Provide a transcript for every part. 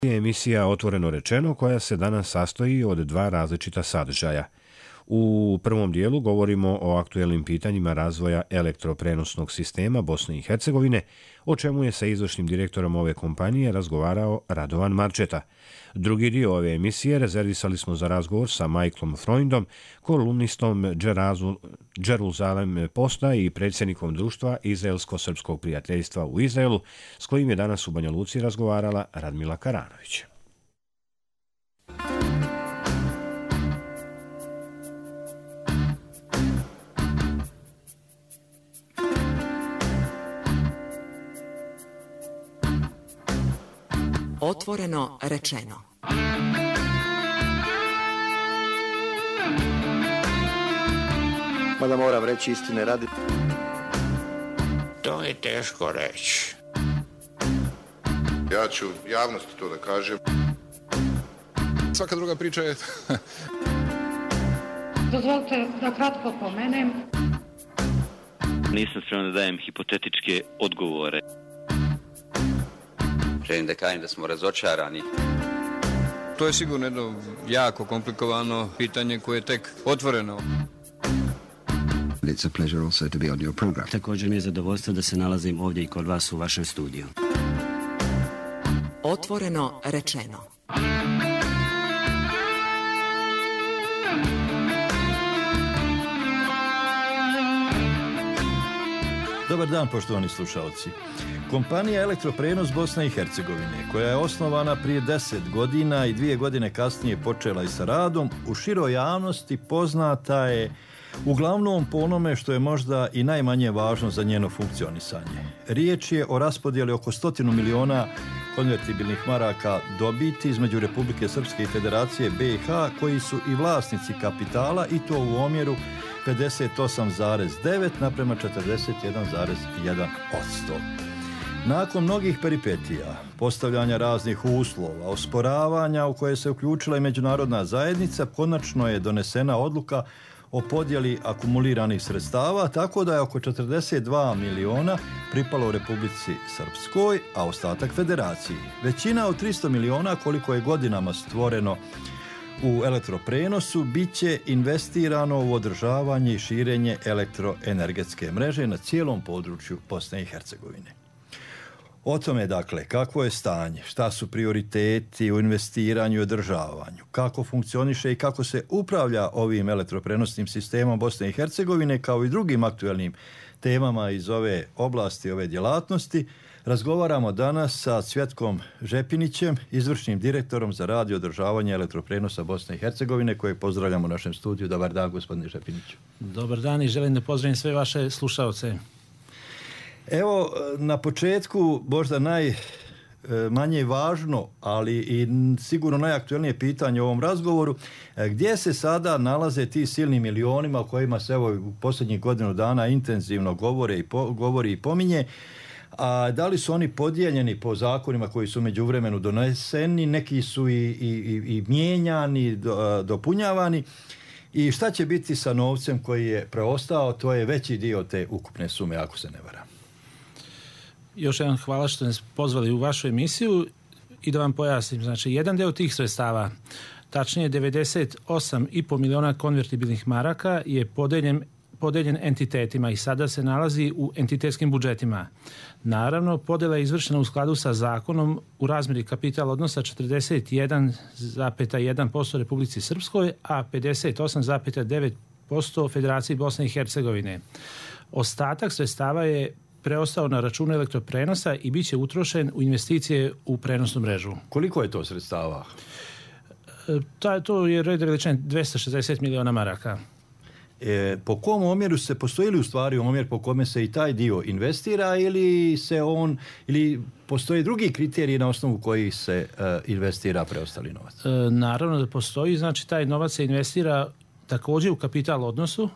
Emisija Otvoreno rečeno koja se danas sastoji od dva različita sadržaja. U prvom dijelu govorimo o aktuelnim pitanjima razvoja elektroprenosnog sistema Bosne i Hercegovine, o čemu je sa izvršnim direktorom ove kompanije razgovarao Radovan Marčeta. Drugi dio ove emisije rezervisali smo za razgovor sa Michaelom Freundom, kolumnistom Jerusalem Posta i predsjednikom društva Izraelsko-srpskog prijateljstva u Izraelu, s kojim je danas u Banja Luci razgovarala Radmila Karanović. Otvoreno rečeno. Mada moram reći istine radi. To je teško reći. Ja ću javnosti to da kažem. Svaka druga priča je... Dozvolite da kratko pomenem. Nisam spreman da dajem hipotetičke odgovore. Želim da kažem da smo razočarani. To je sigurno jedno jako komplikovano pitanje koje je tek otvoreno. It's a pleasure also to be on your program. Također mi je zadovoljstvo da se nalazim ovdje i kod vas u vašem studiju. Otvoreno rečeno. Dobar dan, poštovani slušalci. Kompanija Elektroprenos Bosne i Hercegovine, koja je osnovana prije 10 godina i 2 godine kasnije počela i sa radom, u široj javnosti poznata je uglavnom po onome što je možda i najmanje važno za njeno funkcionisanje. Riječ je o raspodjeli oko 100 miliona konvertibilnih maraka dobiti između Republike Srpske i Federacije BiH, koji su i vlasnici kapitala, i to u omjeru 58,9 naprema 41,1%. Nakon mnogih peripetija, postavljanja raznih uslova, osporavanja u koje se uključila i međunarodna zajednica, konačno je donesena odluka o podjeli akumuliranih sredstava, tako da je oko 42 miliona pripalo u Republici Srpskoj, a ostatak Federaciji. Većina od 300 miliona, koliko je godinama stvoreno u elektroprenosu, bit će investirano u održavanje i širenje elektroenergetske mreže na cijelom području Bosne i Hercegovine. O tome, dakle, kakvo je stanje, šta su prioriteti u investiranju i održavanju, kako funkcioniše i kako se upravlja ovim elektroprenosnim sistemom Bosne i Hercegovine, kao i drugim aktuelnim temama iz ove oblasti, ove djelatnosti, razgovaramo danas sa Cvjetkom Žepinićem, izvršnim direktorom za rad i održavanje elektroprenosa Bosne i Hercegovine, kojeg pozdravljamo u našem studiju. Dobar dan, gospodine Žepiniću. Dobar dan i želim da pozdravim sve vaše slušaoce. Evo, na početku možda najmanje važno, ali i sigurno najaktuelnije pitanje u ovom razgovoru, gdje se sada nalaze ti silni milionima o kojima se evo u posljednjih godinu dana intenzivno govori i pominje, a da li su oni podijeljeni po zakonima koji su međuvremenu doneseni, neki su i mijenjani, dopunjavani, i šta će biti sa novcem koji je preostao? To je veći dio te ukupne sume, ako se ne varam. Još jedan hvala što nas pozvali u vašu emisiju i da vam pojasnim. Znači, jedan deo tih sredstava, tačnije 98,5 miliona konvertibilnih maraka, je podeljen entitetima i sada se nalazi u entitetskim budžetima. Naravno, podjela je izvršena u skladu sa zakonom u razmjeri kapital odnosa 41,1% Republici Srpskoj, a 58,9% Federaciji Bosne i Hercegovine. Ostatak sredstava je preostao na računu elektroprenosa i bit će utrošen u investicije u prenosnu mrežu. Koliko je to sredstava? To je red veličine 260 miliona maraka. Po kom omjeru postoji li u stvari omjer po kome se i taj dio investira, ili postoje drugi kriteriji na osnovu kojih se investira preostali novac? Naravno da postoji, znači taj novac se investira također u kapital odnosu.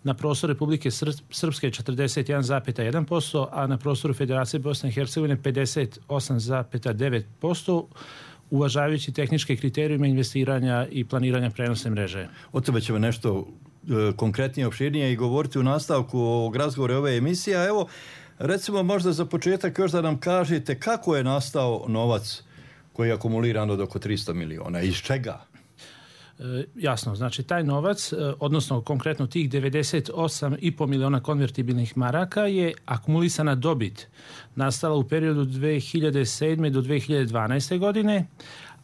Na prostoru Republike Srpske 41,1%, a na prostoru Federacije Bosne i Hercegovine 58,9%, uvažavajući tehničke kriterijume investiranja i planiranja prenosne mreže. O tome ćemo nešto konkretnije, opširnije i govoriti u nastavku ovog razgovora ove emisije. Evo, recimo možda za početak još da nam kažete kako je nastao novac koji je akumuliran od oko 300 miliona. Iz čega? Jasno, znači taj novac, odnosno konkretno tih 98,5 miliona konvertibilnih maraka je akumulisana dobit nastala u periodu 2007. do 2012. godine,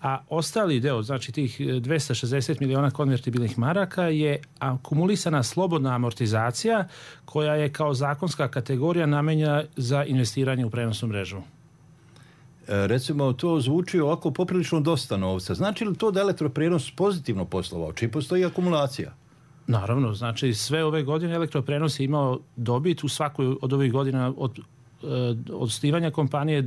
a ostali deo, znači tih 260 miliona konvertibilnih maraka je akumulisana slobodna amortizacija koja je kao zakonska kategorija namenjena za investiranje u prenosnu mrežu. Recimo, to zvuči ovako poprilično dosta novca. Znači li to da elektroprenos pozitivno poslovao? Čim postoji akumulacija? Naravno, znači sve ove godine elektroprenos je imao dobit u svakoj od ovih godina od osnivanja kompanije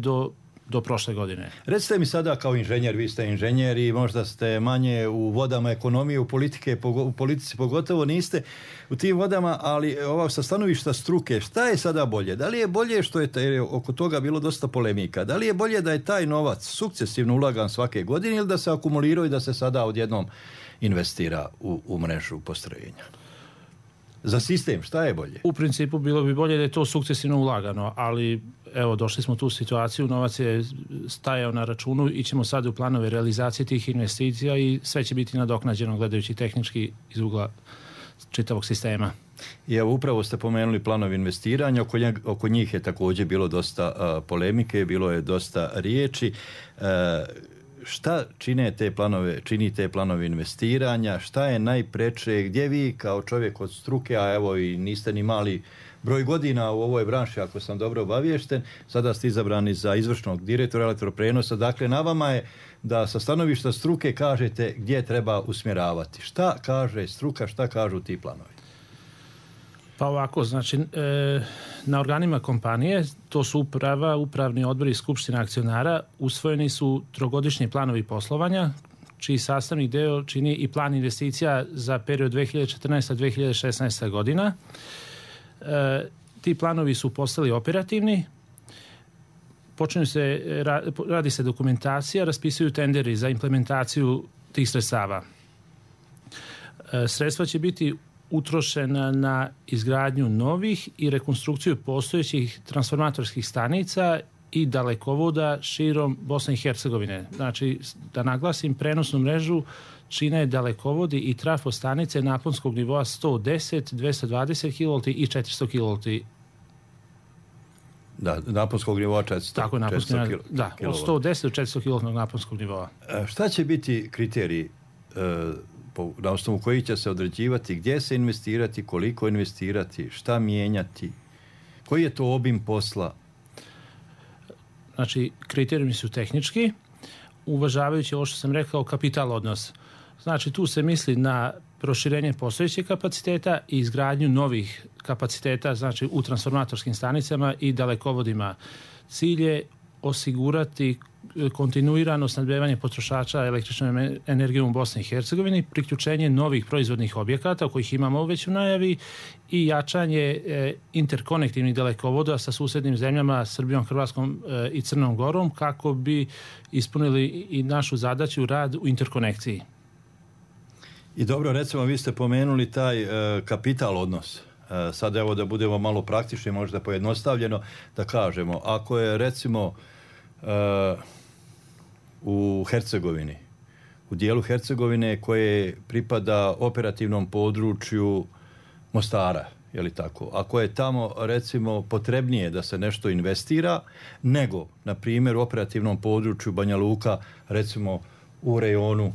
do prošle godine. Recite mi sada kao inženjer, vi ste inženjer i možda ste manje u vodama ekonomije, u politici pogotovo niste u tim vodama, ali sa stanovišta struke, šta je sada bolje? Da li je bolje što je oko toga bilo dosta polemika? Da li je bolje da je taj novac sukcesivno ulagan svake godine ili da se akumulirao i da se sada odjednom investira u mrežu postrojenja? Za sistem, šta je bolje? U principu bilo bi bolje da je to sukcesivno ulagano, ali evo, došli smo u tu situaciju, novac je stajao na računu, ićemo sad u planove realizacije tih investicija i sve će biti nadoknađeno gledajući tehnički iz ugla čitavog sistema. I evo, upravo ste pomenuli planovi investiranja, oko njih je također bilo dosta polemike, bilo je dosta riječi. Šta čini te planove investiranja, šta je najpreče, gdje vi kao čovjek od struke, a evo i niste ni mali broj godina u ovoj branši, ako sam dobro obaviješten, sada ste izabrani za izvršnog direktora elektroprenosa, dakle na vama je da sa stanovišta struke kažete gdje treba usmjeravati. Šta kaže struka, šta kažu ti planovi? Pa ovako, znači na organima kompanije, to su uprava, upravni odbor i skupština akcionara, usvojeni su trogodišnji planovi poslovanja, čiji sastavni deo čini i plan investicija za period 2014-2016 godina. Ti planovi su postali operativni, radi se dokumentacija, raspisuju tenderi za implementaciju tih sredstava. Sredstva će biti utrošena na izgradnju novih i rekonstrukciju postojećih transformatorskih stanica i dalekovoda širom Bosne i Hercegovine. Znači, da naglasim, prenosnu mrežu čine dalekovodi i trafostanice naponskog nivoa 110, 220 kV i 400 kV. Da, naponskog nivoa 400. Tako, naponskog nivoa, da, od 110 do 400 kV naponskog nivoa. Šta će biti kriteriji na osnovu koji će se određivati gdje se investirati, koliko investirati, šta mijenjati, koji je to obim posla? Znači, kriterijumi su tehnički, uvažavajući ovo što sam rekao, kapital odnos. Znači, tu se misli na proširenje postojećih kapaciteta i izgradnju novih kapaciteta, znači u transformatorskim stanicama i dalekovodima. Cilj je osigurati kontinuirano snabdevanje potrošača električnom energijom u Bosni i Hercegovini, priključenje novih proizvodnih objekata kojih imamo već u najavi i jačanje interkonektivnih dalekovoda sa susjednim zemljama Srbijom, Hrvatskom i Crnom Gorom kako bi ispunili i našu zadaću rad u interkonekciji. I dobro, recimo, vi ste pomenuli taj kapital odnos. Sad evo da budemo malo praktični, možda pojednostavljeno da kažemo, ako je recimo u Hercegovini, u dijelu Hercegovine koje pripada operativnom području Mostara, je li tako? Ako je tamo recimo potrebnije da se nešto investira nego, na primjer, u operativnom području Banja Luka, recimo u rejonu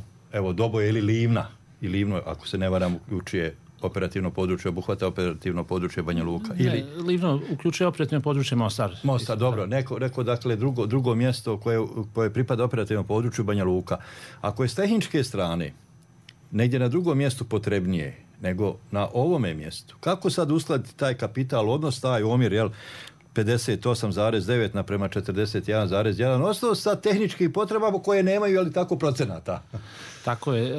Doboje ili Livna, i Livno, ako se ne varam, uključuje operativno područje, obuhvata operativno područje Banja Luka. Ne, Livno uključuje operativno područje Mostar. Mostar, dobro. Neko dakle, drugo mjesto koje pripada operativnom području Banja Luka. Ako je s tehničke strane negdje na drugom mjestu potrebnije nego na ovome mjestu, kako sad uskladiti taj kapital odnos, taj omjer, 58,9 naprema 41,1, ostalo sa tehničkih potrebama koje nemaju, ali tako, procenata. Tako je.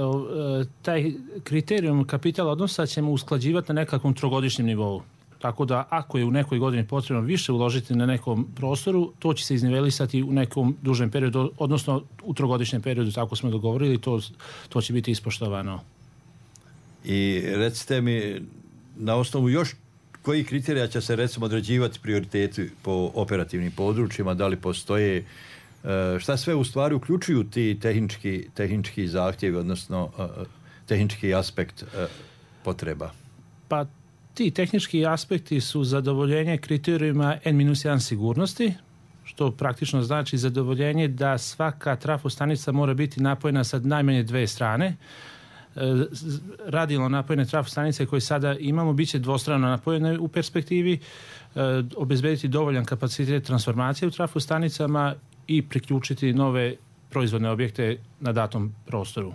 Taj kriterijum kapitala odnosa ćemo usklađivati na nekakvom trogodišnjem nivou. Tako da ako je u nekoj godini potrebno više uložiti na nekom prostoru, to će se iznivelisati u nekom dužem periodu, odnosno u trogodišnjem periodu, tako smo dogovorili, to će biti ispoštovano. I recite mi, na osnovu još koji kriterija će se recimo određivati prioriteti po operativnim područjima, da li postoje Šta sve u stvari uključuju ti tehnički zahtjevi, odnosno tehnički aspekt potreba? Pa ti tehnički aspekti su zadovoljenje kriterijima N-1 sigurnosti, što praktično znači zadovoljenje da svaka trafostanica mora biti napojena sa najmanje 2 strane. Radijalno napojene trafostanice koje sada imamo bit će dvostrano napojene u perspektivi, obezbediti dovoljan kapacitet transformacije u trafostanicama i priključiti nove proizvodne objekte na datom prostoru.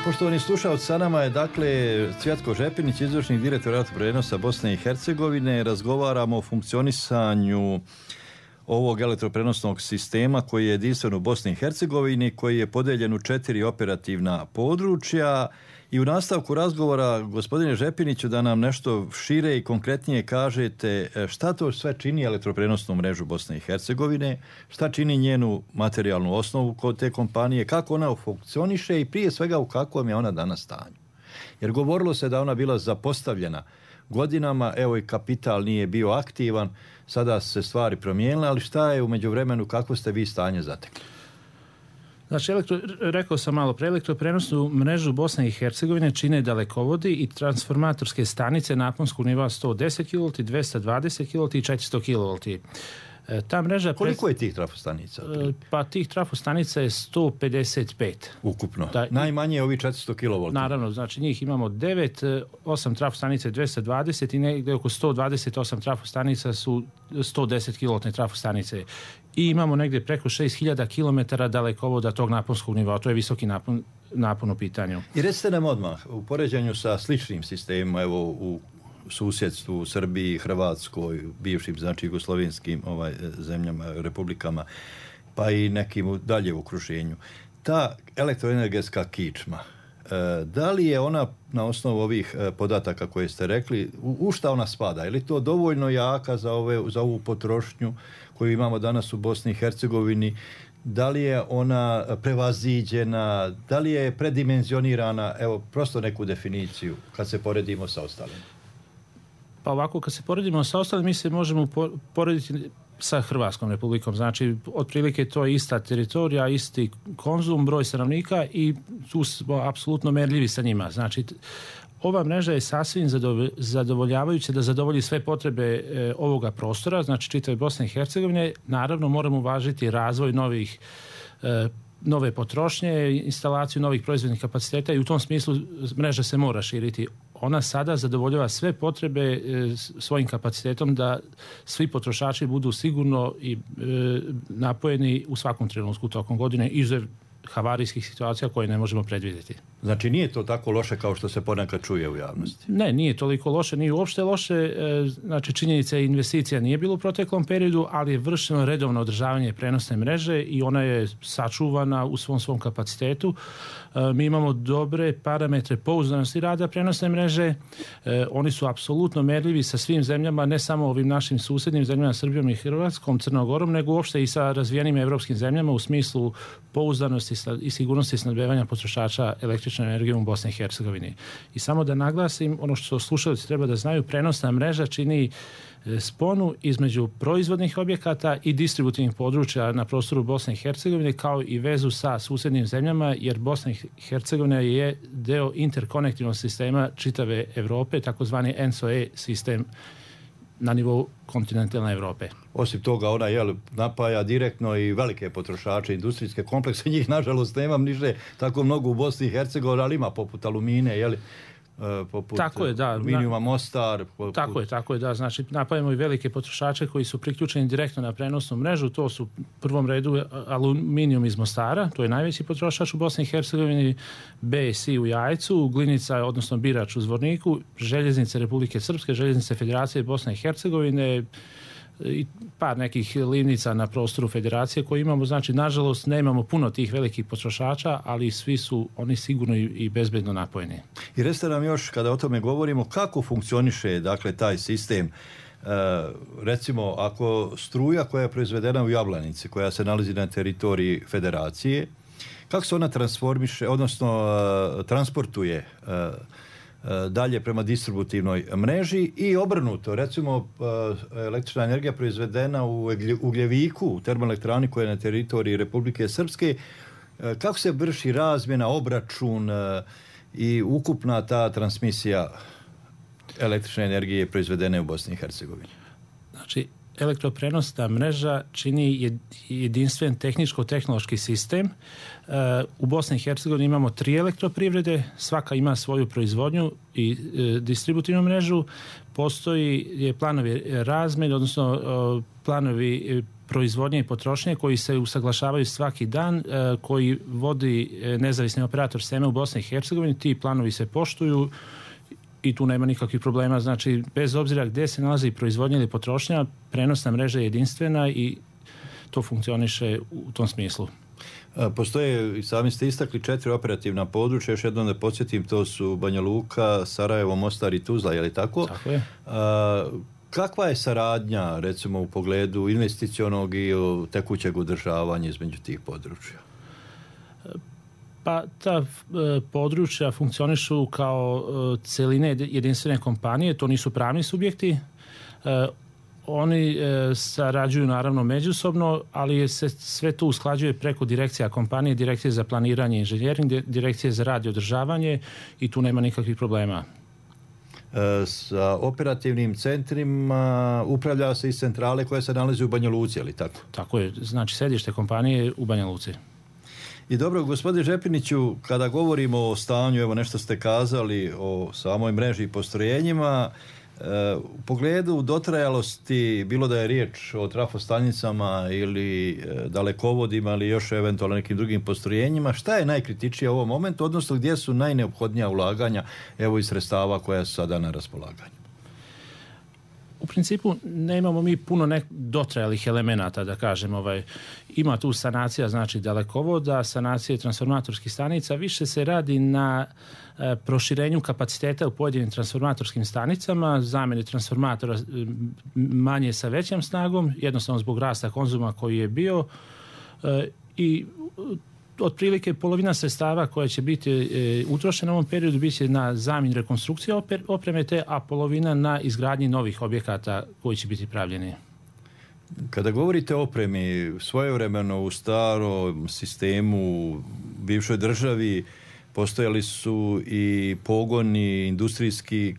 Poštovani slušalci, sa nama je Cvjetko Žepinić, izvršni direktor elektroprenosa Bosne i Hercegovine. Razgovaramo o funkcionisanju ovog elektroprenosnog sistema koji je jedinstven u Bosni i Hercegovini, koji je podeljen u 4 operativna područja. I u nastavku razgovora, gospodine Žepiniću, da nam nešto šire i konkretnije kažete šta to sve čini elektroprenosnu mrežu Bosne i Hercegovine, šta čini njenu materijalnu osnovu kod te kompanije, kako ona funkcioniše i prije svega u kakvom je ona danas stanju. Jer govorilo se da ona bila zapostavljena godinama, evo i kapital nije bio aktivan, sada se stvari promijenile, ali šta je u međuvremenu, kako ste vi stanje zatekli? Znači, rekao sam malo pre, elektroprenosnu mrežu Bosne i Hercegovine čine dalekovodi i transformatorske stanice naponskog nivoa 110 kV, 220 kV i 400 kV. Ta mreža... Koliko je tih trafostanica? Pa tih trafostanica je 155. Ukupno? Najmanje je ovi 400 kV. Naravno, znači njih imamo 9, 8 trafostanice 220 i negdje oko 128 trafostanica su 110 kV trafostanice. I imamo negdje preko 6000 km dalekovoda tog naponskog nivoa. To je visoki napon u pitanju. I recite nam odmah, u poređenju sa sličnim sistemima, evo u susjedstvu, Srbiji, Hrvatskoj, bivšim, znači jugoslovenskim zemljama, republikama, pa i nekim dalje u okruženju. Ta elektroenergetska kičma, da li je ona na osnovu ovih podataka koje ste rekli, u šta ona spada? Je li to dovoljno jaka za ovu potrošnju koju imamo danas u Bosni i Hercegovini? Da li je ona prevaziđena? Da li je predimenzionirana? Evo, prosto neku definiciju kad se poredimo sa ostalim. Pa ovako, kad se poredimo sa ostalim, mi se možemo porediti sa Hrvatskom republikom. Znači, otprilike to je ista teritorija, isti konzum, broj stanovnika i tu smo apsolutno merljivi sa njima. Znači, ova mreža je sasvim zadovoljavajuća da zadovolji sve potrebe ovoga prostora, znači čitave Bosne i Hercegovine. Naravno, moramo uvažiti razvoj nove potrošnje, instalaciju novih proizvodnih kapaciteta i u tom smislu mreža se mora širiti. Ona sada zadovoljava sve potrebe svojim kapacitetom da svi potrošači budu sigurno i napojeni u svakom trenutku tokom godine, izuzev havarijskih situacija koje ne možemo predvidjeti. Znači nije to tako loše kao što se ponekad čuje u javnosti? Ne, nije toliko loše, nije uopšte loše. Znači činjenica je investicija nije bilo u proteklom periodu, ali je vršeno redovno održavanje prenosne mreže i ona je sačuvana u svom kapacitetu. Mi imamo dobre parametre pouzdanosti rada prenosne mreže. Oni su apsolutno merljivi sa svim zemljama, ne samo ovim našim susjednim zemljama, Srbijom i Hrvatskom, Crnogorom, nego uopšte i sa razvijenim evropskim zemljama u smislu pouzdanosti i sigurnosti snabdevanja potrošača električnom energijom u Bosni i Hercegovini. I samo da naglasim, ono što slušalci treba da znaju, prenosna mreža čini sponu između proizvodnih objekata i distributivnih područja na prostoru Bosne i Hercegovine, kao i vezu sa susjednim zemljama, jer Bosna i Hercegovina je deo interkonektivnog sistema čitave Evrope, takozvani ENSO-E sistem na nivou kontinentalne Evrope. Osim toga, ona napaja direktno i velike potrošače, industrijske komplekse, njih nažalost nemam niže tako mnogo u Bosni i Hercegovini, ali ima poput Alumine, poput tako je, da, Aluminijuma Mostar. Tako je, da. Znači, napajamo i velike potrošače koji su priključeni direktno na prenosnu mrežu. To su u prvom redu Aluminijum iz Mostara, to je najveći potrošač u Bosni i Hercegovini, BSI u Jajcu, Glinica, odnosno Birač u Zvorniku, Željeznice Republike Srpske, Željeznice Federacije Bosne i Hercegovine i par nekih livnica na prostoru federacije koje imamo. Znači, nažalost, nemamo puno tih velikih potrošača, ali svi su oni sigurno i bezbedno napojeni. I recite nam još, kada o tome govorimo, kako funkcioniše, dakle, taj sistem Recimo, ako struja koja je proizvedena u Jablanici, koja se nalazi na teritoriji federacije, kako se ona transformiše, odnosno transportuje dalje prema distributivnoj mreži i obrnuto. Recimo, električna energija proizvedena u Ugljeviku, u termoelektrani koja je na teritoriji Republike Srpske, kako se vrši razmjena, obračun i ukupna ta transmisija električne energije proizvedene u Bosni i Hercegovini? Znači, elektroprenosna mreža čini jedinstven tehničko-tehnološki sistem. U Bosni i Hercegovini imamo 3 elektroprivrede, svaka ima svoju proizvodnju i distributivnu mrežu. Postoji planovi razmjene, odnosno planovi proizvodnje i potrošnje koji se usaglašavaju svaki dan, koji vodi nezavisni operator sistema u Bosni i Hercegovini. Ti planovi se poštuju i tu nema nikakvih problema. Znači, bez obzira gdje se nalazi proizvodnja ili potrošnja, prenosna mreža je jedinstvena i to funkcioniše u tom smislu. Postoje, i sami ste istakli, 4 operativna područja, još jednom da podsjetim, to su Banja Luka, Sarajevo, Mostar i Tuzla, je li tako? Tako je. Kakva je saradnja, recimo, u pogledu investicionog i tekućeg održavanja između tih područja? Pa ta područja funkcionišu kao celine jedinstvene kompanije, to nisu pravni subjekti. Oni sarađuju naravno međusobno, ali se sve to usklađuje preko direkcija kompanije, direkcije za planiranje i inženjering, direkcije za rad i održavanje i tu nema nikakvih problema. Sa operativnim centrima upravlja se iz centrale koja se nalazi u Banja Luci, ali tako? Tako je, znači sedište kompanije je u Banja Luci. I dobro, gospodine Žepiniću, kada govorimo o stanju, evo nešto ste kazali o samoj mreži i postrojenjima, u pogledu dotrajalosti, bilo da je riječ o trafostanicama ili dalekovodima ili još eventualno nekim drugim postrojenjima, šta je najkritičnije u ovom momentu, odnosno gdje su najneophodnija ulaganja, evo, iz sredstava koja su sada na raspolaganju? U principu nemamo mi puno dotrajalih elemenata, da kažem. Ima tu sanacija, znači dalekovoda, sanacije transformatorskih stanica, više se radi na proširenju kapaciteta u pojedinim transformatorskim stanicama, zamjeni transformatora manje sa većom snagom, jednostavno zbog rasta konzuma koji je bio i otprilike polovina sredstava koja će biti utrošena u ovom periodu bit će na zamjenu rekonstrukcije opreme, a polovina na izgradnji novih objekata koji će biti pravljeni. Kada govorite o opremi, svojevremeno u starom sistemu, bivšoj državi, postojali su i pogoni industrijski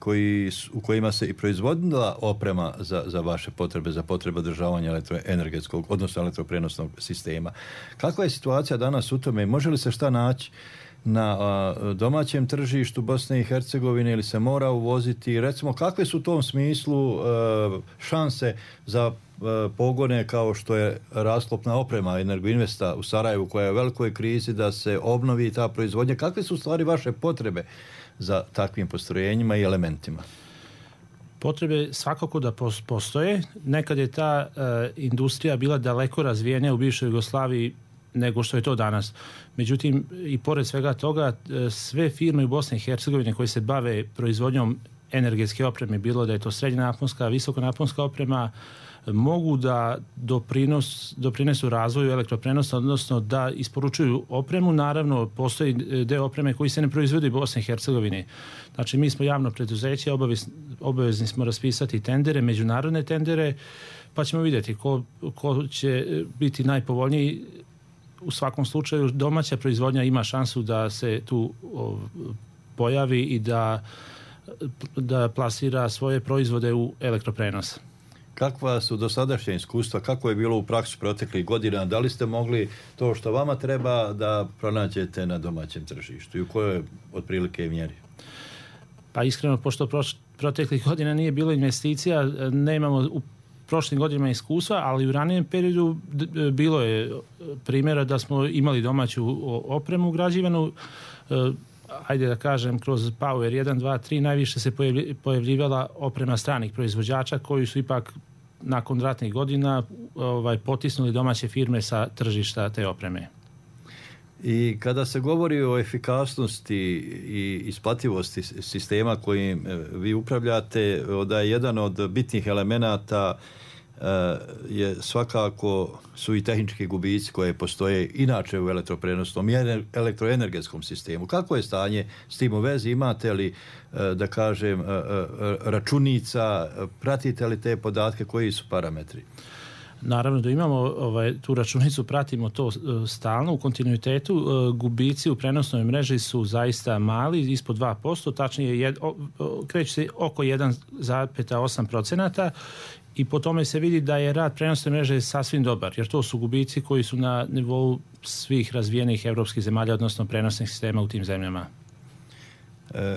u kojima se i proizvodila oprema za vaše potrebe, za potrebe održavanja elektroenergetskog, odnosno elektroprenosnog sistema. Kakva je situacija danas u tome? Može li se šta naći na domaćem tržištu Bosne i Hercegovine ili se mora uvoziti? Recimo, kakve su u tom smislu šanse za pogone kao što je rasklopna oprema Energoinvesta u Sarajevu koja je u velikoj krizi, da se obnovi ta proizvodnja? Kakve su u stvari vaše potrebe za takvim postrojenjima i elementima? Potrebe svakako da postoje. Nekad je ta industrija bila daleko razvijenija u bivšoj Jugoslaviji nego što je to danas. Međutim, i pored svega toga, sve firme u Bosni i Hercegovini koje se bave proizvodnjom energetske opreme, bilo da je to srednjonaponska, visokonaponska oprema, mogu da doprinesu razvoju elektroprenosa, odnosno da isporučuju opremu. Naravno, postoji deo opreme koji se ne proizvodi u Bosni i Hercegovini. Znači, mi smo javno preduzeće, obavezni smo raspisati tendere, međunarodne tendere, pa ćemo vidjeti ko će biti najpovoljniji. U svakom slučaju, domaća proizvodnja ima šansu da se tu pojavi i da plasira svoje proizvode u elektroprenos. Kakva su dosadašnja iskustva, kako je bilo u praksi proteklih godina? Da li ste mogli to što vama treba da pronađete na domaćem tržištu i u kojoj otprilike mjeri? Pa iskreno, pošto proteklih godina nije bilo investicija, nemamo u prošlim godinama iskustva, ali u ranijem periodu bilo je primjera da smo imali domaću opremu ugrađivanu. Ajde da kažem, kroz Power 1, 2, 3 najviše se pojavljivala oprema stranih proizvođača koji su ipak nakon ratnih godina potisnuli domaće firme sa tržišta te opreme. I kada se govori o efikasnosti i isplativosti sistema kojim vi upravljate, da je jedan od bitnih elemenata je svakako su i tehnički gubici koje postoje inače u elektroprenosnom i elektroenergetskom sistemu. Kako je stanje s tim u vezi? Imate li, da kažem, računica, pratite li te podatke, koji su parametri? Naravno da imamo tu računicu, pratimo to stalno u kontinuitetu. Gubici u prenosnoj mreži su zaista mali, ispod 2%, tačnije kreće se oko 1,8%. I po tome se vidi da je rad prenosne mreže sasvim dobar, jer to su gubici koji su na nivou svih razvijenih evropskih zemalja, odnosno prenosnih sistema u tim zemljama.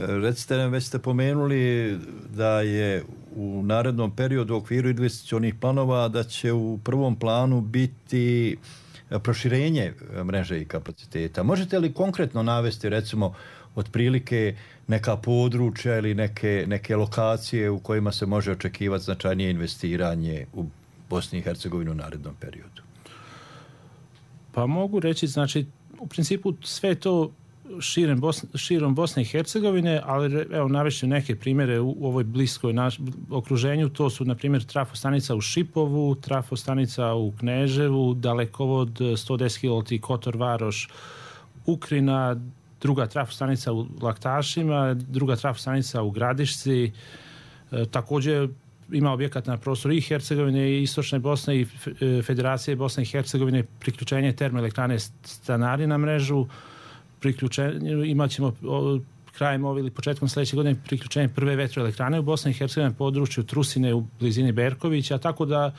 Recite nam, već ste pomenuli da je u narednom periodu u okviru investicionih planova da će u prvom planu biti proširenje mreže i kapaciteta. Možete li konkretno navesti, recimo, otprilike neka područja ili neke lokacije u kojima se može očekivati značajnije investiranje u Bosni i Hercegovini u narednom periodu? Pa mogu reći, znači, u principu sve to širom Bosne i Hercegovine, ali evo navešću neke primjere u ovoj bliskoj okruženju. To su, na primjer, trafostanica u Šipovu, trafostanica u Kneževu, dalekovod 110 kV Kotor Varoš, Ukrina, druga trafostanica u Laktašima, druga trafostanica u Gradišci. Također ima objekat na prostoru i Hercegovine i Istočne Bosne i Federacije Bosne i Hercegovine, priključenje termoelektrane Stanari na mrežu, imat ćemo krajem ove ili početkom sljedeće godine priključenje prve vetroelektrane u Bosni i Hercegovini na području Trusine u blizini Berkovića, tako da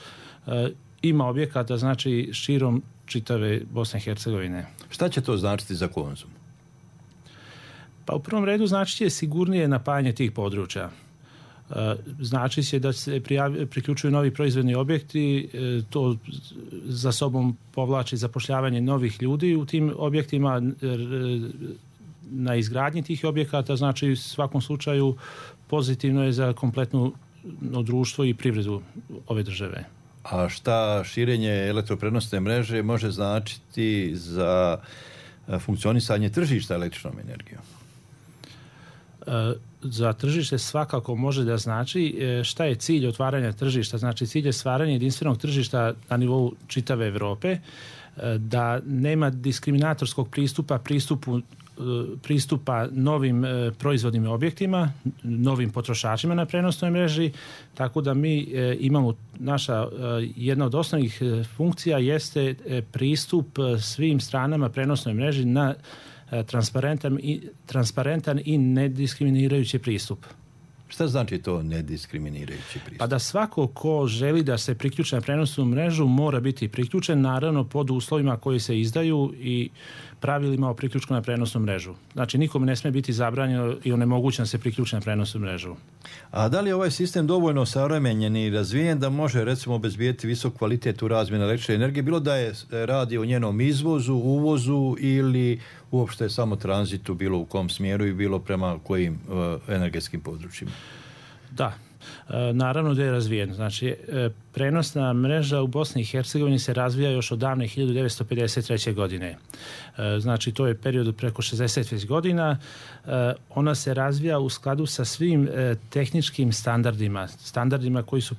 ima objekata, znači, širom čitave Bosne i Hercegovine. Šta će to značiti za konzum? Pa u prvom redu znači će sigurnije napajanje tih područja. Znači će da se priključuju novi proizvodni objekti, to za sobom povlači zapošljavanje novih ljudi u tim objektima, na izgradnji tih objekata, znači u svakom slučaju pozitivno je za kompletno društvo i privredu ove države. A šta širenje elektroprenosne mreže može značiti za funkcionisanje tržišta električnom energijom? Za tržište svakako može da znači šta je cilj otvaranja tržišta. Znači, cilj je stvaranje jedinstvenog tržišta na nivou čitave Evrope, da nema diskriminatorskog pristupa novim proizvodnim objektima, novim potrošačima na prenosnoj mreži, tako da mi imamo jedna od osnovnih funkcija jeste pristup svim stranama prenosnoj mreži na transparentan i nediskriminirajući pristup. Šta znači to nediskriminirajući pristup? Pa da svako ko želi da se priključi na prenosnu mrežu mora biti priključen, naravno pod uslovima koji se izdaju i pravilima o priključku na prenosnu mrežu. Znači, nikome ne smije biti zabranjeno i onemogućeno da se priključi na prenosnu mrežu. A da li je ovaj sistem dovoljno savremenjen i razvijen da može, recimo, obezbijeti visok kvalitet u razmjeni električne energije, bilo da je radi o njenom izvozu, uvozu ili uopšte samo tranzitu, bilo u kom smjeru i bilo prema kojim energetskim područjima? Da, naravno da je razvijen. Znači, prenosna mreža u Bosni i Hercegovini se razvija još od davne 1953. godine. Znači, to je period preko 60 godina. Ona se razvija u skladu sa svim tehničkim standardima koji su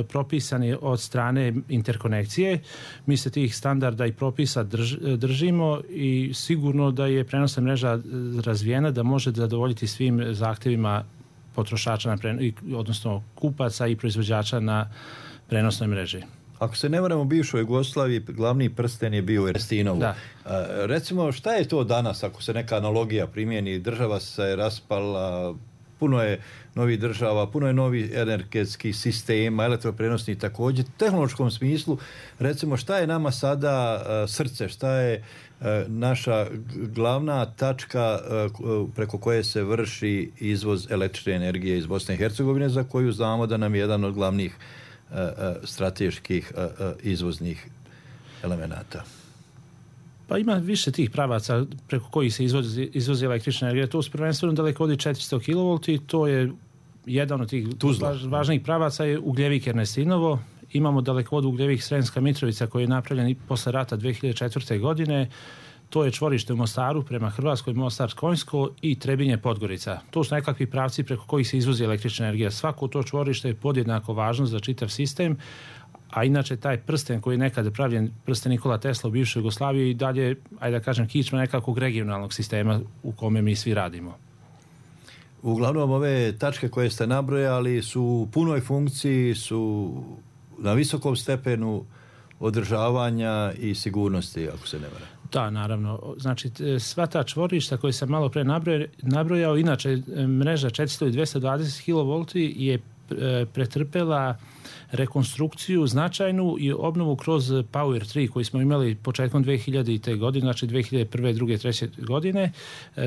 propisani od strane interkonekcije. Mi se tih standarda i propisa držimo i sigurno da je prenosna mreža razvijena da može zadovoljiti svim zahtjevima potrošača, odnosno kupaca i proizvođača na prenosnoj mreži. Ako se ne varam, u bivšoj Jugoslaviji glavni prsten je bio u Erstinovu. Recimo, šta je to danas, ako se neka analogija primjeni? Država se raspala, puno je novih država, puno je novih energetskih sistema, elektroprenosnih također. U tehnološkom smislu, recimo, šta je nama sada srce, šta je naša glavna tačka preko koje se vrši izvoz električne energije iz Bosne i Hercegovine, za koju znamo da nam je jedan od glavnih strateških izvoznih elemenata? Pa ima više tih pravaca preko kojih se izvozi električna energija. To su prvenstveno dalekovodi 400 kV i to je jedan od tih važnijih pravaca je Ugljevik Ernestinovo. Imamo dalekovod Ugljevik Sremska Mitrovica koji je napravljen i posle rata 2004. godine. To je čvorište u Mostaru prema Hrvatskoj, Mostar Konjsko i Trebinje Podgorica. To su nekakvi pravci preko kojih se izvozi električna energija. Svako to čvorište je podjednako važno za čitav sistem, a inače taj prsten koji je nekada pravljen, prsten Nikola Tesla u bivšoj Jugoslaviji, i dalje, ajde da kažem, kičma nekakvog regionalnog sistema u kome mi svi radimo. Uglavnom, ove tačke koje ste nabrojali su u punoj funkciji, su na visokom stepenu održavanja i sigurnosti, ako se ne varam. Da, naravno. Znači, sva ta čvorišta koje sam malo pre nabrojao, inače mreža 400 i 220 kV je pretrpela rekonstrukciju značajnu i obnovu kroz Power 3 koji smo imali početkom 2000. godine, znači 2001. 2. 3. godine,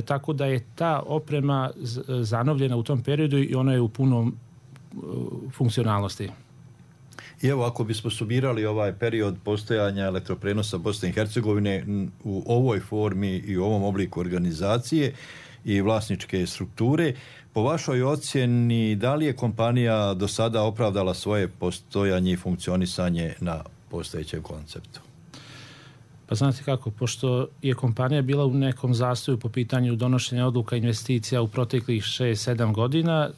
tako da je ta oprema zanovljena u tom periodu i ona je u punom funkcionalnosti. I evo, ako bismo sumirali ovaj period postojanja elektroprenosa Bosne i Hercegovine u ovoj formi i u ovom obliku organizacije i vlasničke strukture, po vašoj ocjeni, da li je kompanija do sada opravdala svoje postojanje i funkcionisanje na postojećem konceptu? Pa znate kako, pošto je kompanija bila u nekom zastoju po pitanju donošenja odluka investicija u proteklih 6-7 godina,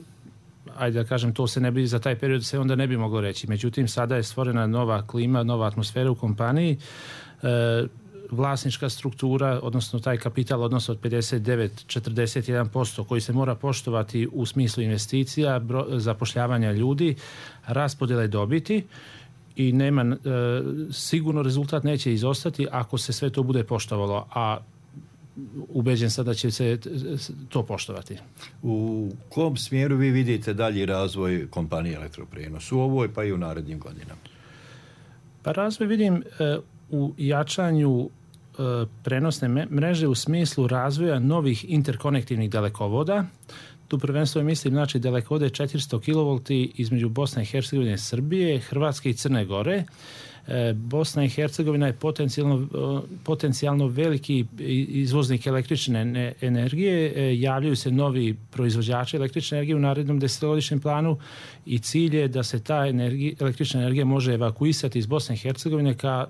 ajde da kažem, to se ne bi, za taj period se onda ne bi moglo reći. Međutim, sada je stvorena nova klima, nova atmosfera u kompaniji, vlasnička struktura, odnosno taj kapital odnos od 59-41% koji se mora poštovati u smislu investicija, zapošljavanja ljudi, raspodjele dobiti i nema, sigurno rezultat neće izostati ako se sve to bude poštovalo, a ubeđen sam da će se to poštovati. U kom smjeru vi vidite dalji razvoj kompanije Elektroprenos u ovoj pa i u narednim godinama? Pa razvoj vidim u jačanju prenosne mreže u smislu razvoja novih interkonektivnih dalekovoda. Tu prvenstveno mislim, znači, dalekovode 400 kV između Bosne i Hercegovine i Srbije, Hrvatske i Crne Gore. Bosna i Hercegovina je potencijalno veliki izvoznik električne energije, javljaju se novi proizvođači električne energije u narednom 10-godišnjem planu i cilj je da se ta električna energija može evakuisati iz Bosne i Hercegovine ka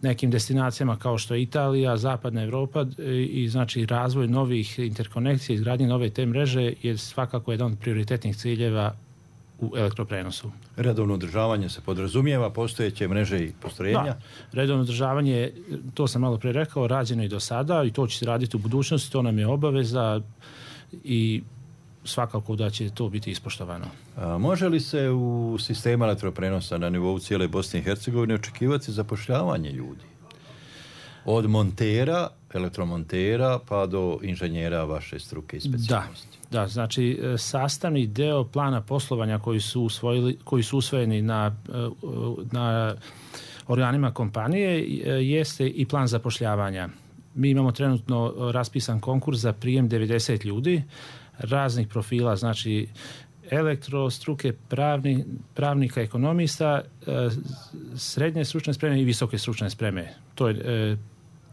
nekim destinacijama kao što je Italija, Zapadna Evropa, i znači razvoj novih interkonekcija, izgradnje nove te mreže je svakako jedan od prioritetnih ciljeva u elektroprenosu. Redovno održavanje se podrazumijeva postojeće mreže i postrojenja? Da, redovno održavanje, to sam malo pre rekao, rađeno i do sada i to će se raditi u budućnosti, to nam je obaveza i svakako da će to biti ispoštovano. Može li se u sistemu elektroprenosa na nivou cijele Bosne i Hercegovine očekivati zapošljavanje ljudi? Od montera, elektromontera pa do inženjera vaše struke i specijalnosti? Da, znači sastavni deo plana poslovanja koji su usvojeni na organima kompanije jeste i plan zapošljavanja. Mi imamo trenutno raspisan konkurs za prijem 90 ljudi raznih profila, znači elektrostruke, pravnika, ekonomista, srednje stručne spreme i visoke stručne spreme. To je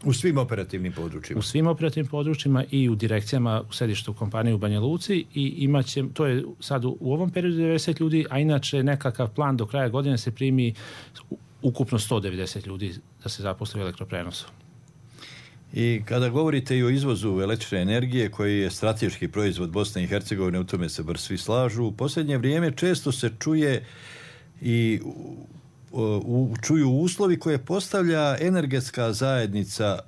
u svim operativnim područjima. U svim operativnim područjima i u direkcijama u sedištu kompanije u Banja Luci i imaće, to je sad u ovom periodu 90 ljudi, a inače nekakav plan do kraja godine se primi ukupno 190 ljudi da se zaposli u elektroprenosu. I kada govorite i o izvozu električne energije koji je strateški proizvod Bosne i Hercegovine, u tome se bar svi slažu, u posljednje vrijeme često se čuje i čuju uslovi koje postavlja energetska zajednica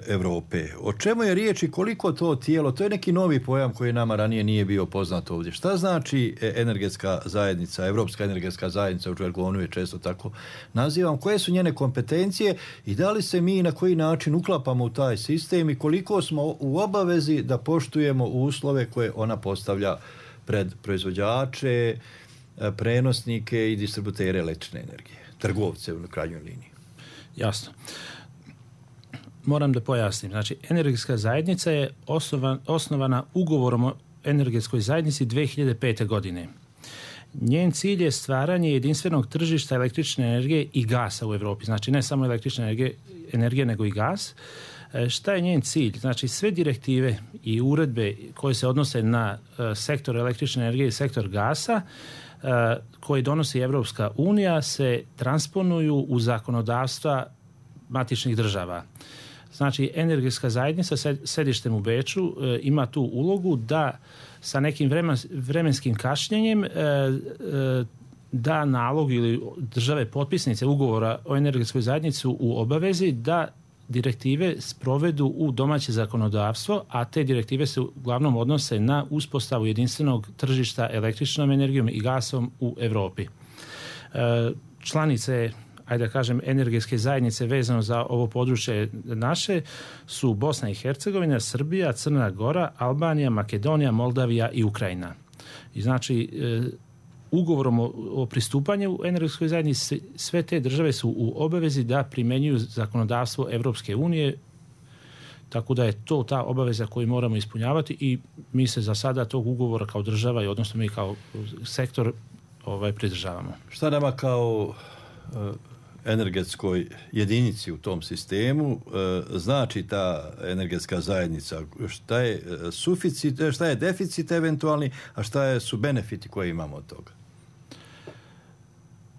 Europe. O čemu je riječ i koliko to tijelo, to je neki novi pojam koji nama ranije nije bio poznat ovdje. Šta znači energetska zajednica, Europska energetska zajednica, u žargonu je često tako nazivam, koje su njene kompetencije i da li se mi na koji način uklapamo u taj sistem i koliko smo u obavezi da poštujemo uslove koje ona postavlja pred proizvođače, prenosnike i distributere električne energije, trgovce u krajnjoj liniji. Jasno. Moram da pojasnim. Znači, energetska zajednica je osnovana ugovorom o energetskoj zajednici 2005. godine. Njen cilj je stvaranje jedinstvenog tržišta električne energije i gasa u Europi. Znači, ne samo električne energije, nego i gas. Šta je njen cilj? Znači, sve direktive i uredbe koje se odnose na sektor električne energije i sektor gasa koje donosi Evropska unija se transponuju u zakonodavstva matičnih država. Znači, energetska zajednica sa sedištem u Beču ima tu ulogu da sa nekim vremenskim kašnjenjem da nalog ili države potpisnice ugovora o energetskoj zajednici u obavezi da direktive sprovedu u domaće zakonodavstvo, a te direktive se uglavnom odnose na uspostavu jedinstvenog tržišta električnom energijom i gasom u Europi. Članice, ajde da kažem, energetske zajednice vezano za ovo područje naše su Bosna i Hercegovina, Srbija, Crna Gora, Albanija, Makedonija, Moldavija i Ukrajina. I znači, ugovorom o pristupanju u energetskoj zajednici sve te države su u obavezi da primjenjuju zakonodavstvo Evropske unije, tako da je to ta obaveza koju moramo ispunjavati i mi se za sada tog ugovora kao država i odnosno mi kao sektor pridržavamo. Šta nama kao energetskoj jedinici u tom sistemu znači ta energetska zajednica? Šta je suficit, šta je deficit eventualni, a šta su benefiti koje imamo od toga?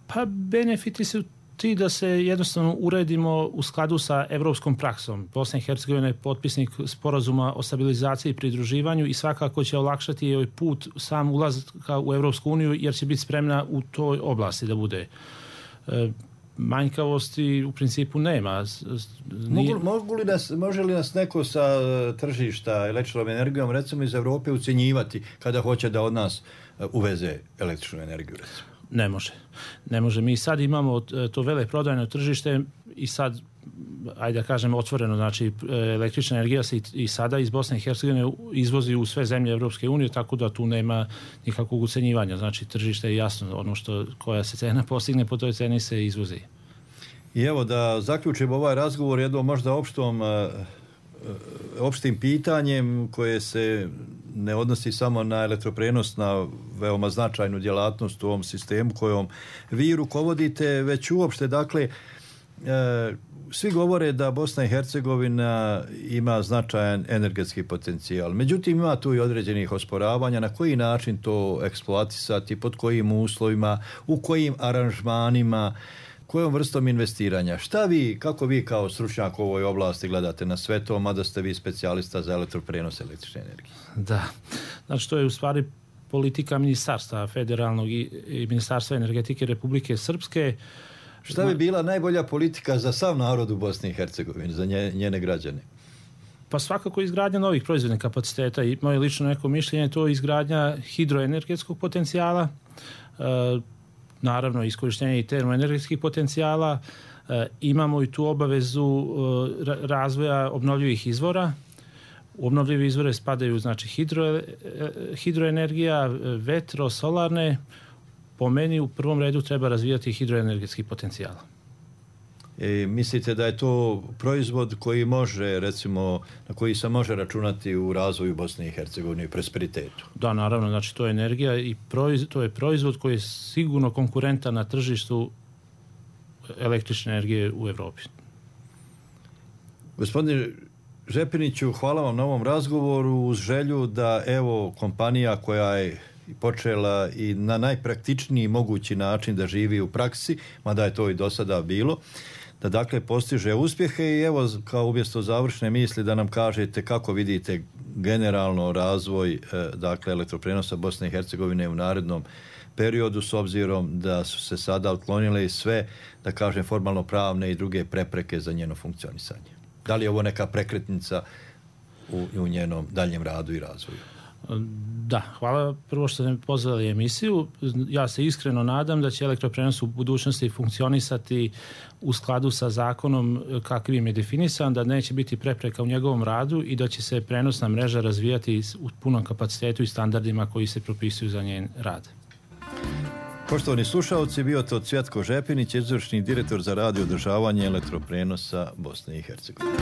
Pa benefiti su ti da se jednostavno uredimo u skladu sa evropskom praksom. Bosna i Hercegovina je potpisnik sporazuma o stabilizaciji i pridruživanju i svakako će olakšati joj put sam ulazka u Evropsku uniju jer će biti spremna u toj oblasti da bude. Manjkavosti u principu nema. Može li nas neko sa tržišta električnom energijom, recimo iz Europe, ucjenjivati kada hoće da od nas uveze električnu energiju, recimo? Ne može. Mi sad imamo to veleprodajno tržište i sad, ajde da kažem, otvoreno, znači električna energija se i sada iz Bosne i Hercegovine izvozi u sve zemlje Evropske unije, tako da tu nema nikakvog ucenjivanja. Znači, tržište je jasno, ono koja se cena postigne, po toj ceni se izvozi. I evo da zaključimo ovaj razgovor jednom možda opštim pitanjem koje se ne odnosi samo na elektroprenos, na veoma značajnu djelatnost u ovom sistemu kojom vi rukovodite, već uopšte, dakle, svi govore da Bosna i Hercegovina ima značajan energetski potencijal. Međutim, ima tu i određenih osporavanja na koji način to eksploatisati, pod kojim uslovima, u kojim aranžmanima, kojom vrstom investiranja. Kako vi kao stručnjak u ovoj oblasti gledate na sve to, mada ste vi specijalista za elektroprenos električne energije? Da, znači to je u stvari politika ministarstva federalnog i ministarstva energetike Republike Srpske. Šta bi bila najbolja politika za sav narod u Bosni i Hercegovini, za njene građane? Pa svakako izgradnja novih proizvodnih kapaciteta i moje lično neko mišljenje je to izgradnja hidroenergetskog potencijala, naravno iskorištenje i termoenergetskih potencijala. Imamo i tu obavezu razvoja obnovljivih izvora. U obnovljive izvore spadaju znači hidroenergija, vetro, solarne. Po meni u prvom redu treba razvijati hidroenergetski potencijal. Mislite da je to proizvod koji može, recimo, na koji se može računati u razvoju Bosne i Hercegovine i prosperitetu? Da, naravno, znači to je energija i to je proizvod koji je sigurno konkurentan na tržištu električne energije u Evropi. Gospodine Žepiniću, hvala vam na ovom razgovoru uz želju da evo kompanija koja je počela i na najpraktičniji mogući način da živi u praksi, mada je to i do sada bilo, da dakle postiže uspjehe i evo kao umjesto završne misli da nam kažete kako vidite generalno razvoj dakle elektroprenosa Bosne i Hercegovine u narednom periodu s obzirom da su se sada otklonile i sve, da kažem, formalno pravne i druge prepreke za njeno funkcionisanje. Da li je ovo neka prekretnica u njenom daljem radu i razvoju? Da, hvala prvo što ste me pozvali emisiju. Ja se iskreno nadam da će elektroprenos u budućnosti funkcionisati u skladu sa zakonom kakvim je definisan, da neće biti prepreka u njegovom radu i da će se prenosna mreža razvijati u punom kapacitetu i standardima koji se propisuju za njen rad. Poštovani slušalci, bio to Cvjetko Žepinić, izvršni direktor za rad i održavanje elektroprenosa Bosne i Hercegovine.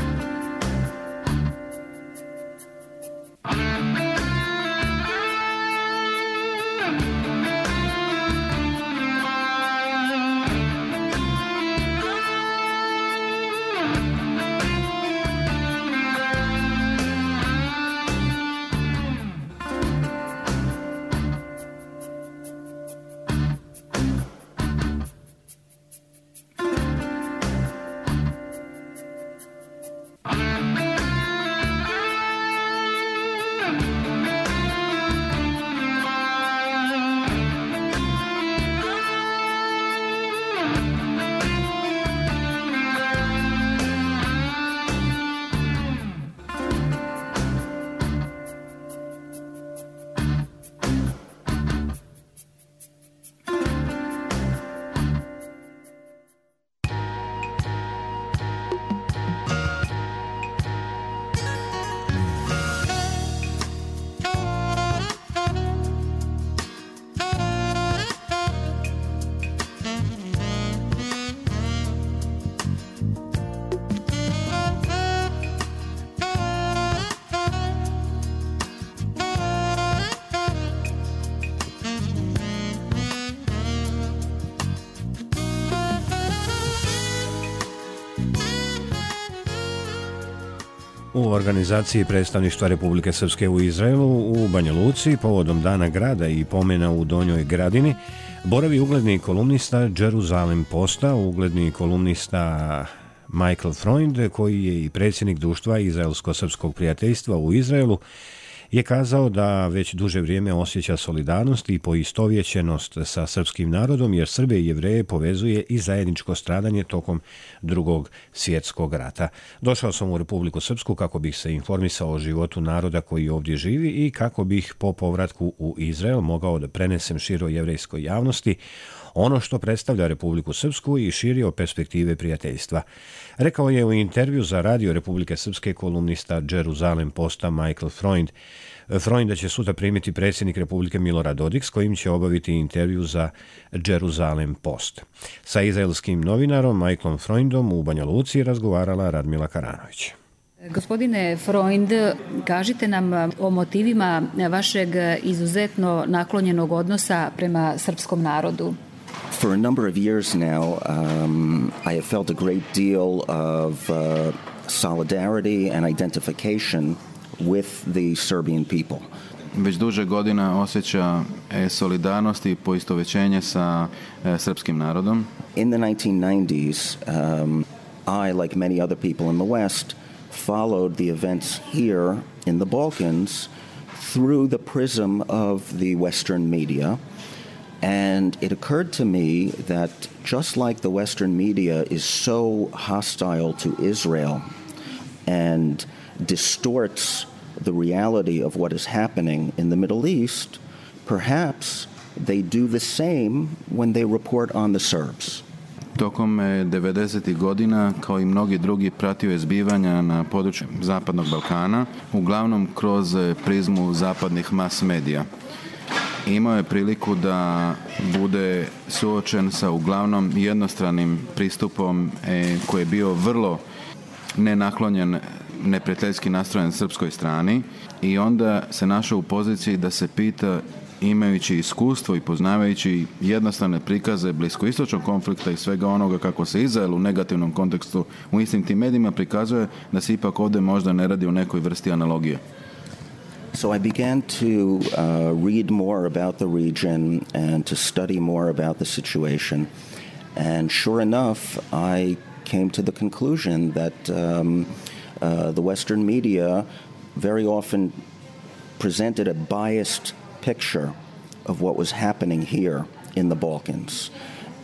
U organizaciji predstavništva Republike Srpske u Izraelu u Banja Luci povodom Dana grada i pomena u Donjoj Gradini boravi ugledni kolumnista Jerusalem Posta, ugledni kolumnista Michael Freund, koji je i predsjednik društva Izraelsko-srpskog prijateljstva u Izraelu, je kazao da već duže vrijeme osjeća solidarnost i poistovjećenost sa srpskim narodom, jer Srbe i Jevreje povezuje i zajedničko stradanje tokom Drugog svjetskog rata. Došao sam u Republiku Srpsku kako bih se informisao o životu naroda koji ovdje živi i kako bih po povratku u Izrael mogao da prenesem široj jevrejskoj javnosti ono što predstavlja Republiku Srpsku i širio perspektive prijateljstva. Rekao je u intervju za Radio Republike Srpske kolumnista Jerusalem Posta Michael Freund. Freunda će sutra primiti predsjednik Republike Milorad Dodik, s kojim će obaviti intervju za Jerusalem Post. Sa izraelskim novinarom Michaelom Freundom u Banja Luci razgovarala Radmila Karanović. Gospodine Freund, kažite nam o motivima vašeg izuzetno naklonjenog odnosa prema srpskom narodu. For a number of years now, I have felt a great deal of solidarity and identification with the Serbian people. Već duže godina osjeća solidarnost i poistovjećenje sa srpskim narodom. In the 1990s, I, like many other people in the West, followed the events here in the Balkans through the prism of the Western media. And it occurred to me that just like the Western media is so hostile to Israel and distorts the reality of what is happening in the Middle East, perhaps they do the same when they report on the Serbs. Tokom 90. godina, kao i mnogi drugi, pratio je zbivanja na području Zapadnog Balkana, uglavnom kroz prizmu zapadnih mas medija. Imao je priliku da bude suočen sa uglavnom jednostranim pristupom koji je bio vrlo nenaklonjen, neprijateljski nastrojen srpskoj strani, i onda se našao u poziciji da se pita, imajući iskustvo i poznavajući jednostavne prikaze bliskoistočnog konflikta i svega onoga kako se Izrael u negativnom kontekstu u istim tim medijima prikazuje, da se ipak ovdje možda ne radi o nekoj vrsti analogije. So I began to read more about the region and to study more about the situation. And sure enough, I came to the conclusion that the Western media very often presented a biased picture of what was happening here in the Balkans.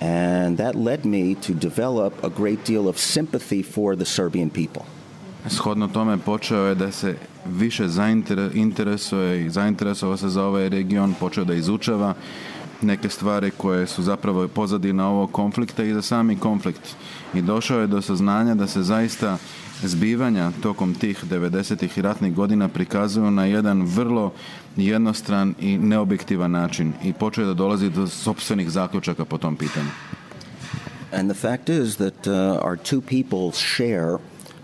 And that led me to develop a great deal of sympathy for the Serbian people. Shodno tome počeo je da se više interesuje i zainteresovao se za ovaj region, počeo da izučava neke stvari koje su zapravo pozadina ovog konflikta i za sami konflikt. I došao je do saznanja da se zaista zbivanja tokom tih 90-ih i ratnih godina prikazuju na jedan vrlo jednostran i neobjektivan način, i počeo je da dolazi do sopstvenih zaključaka po tom pitanju. And the fact is that our two peoples share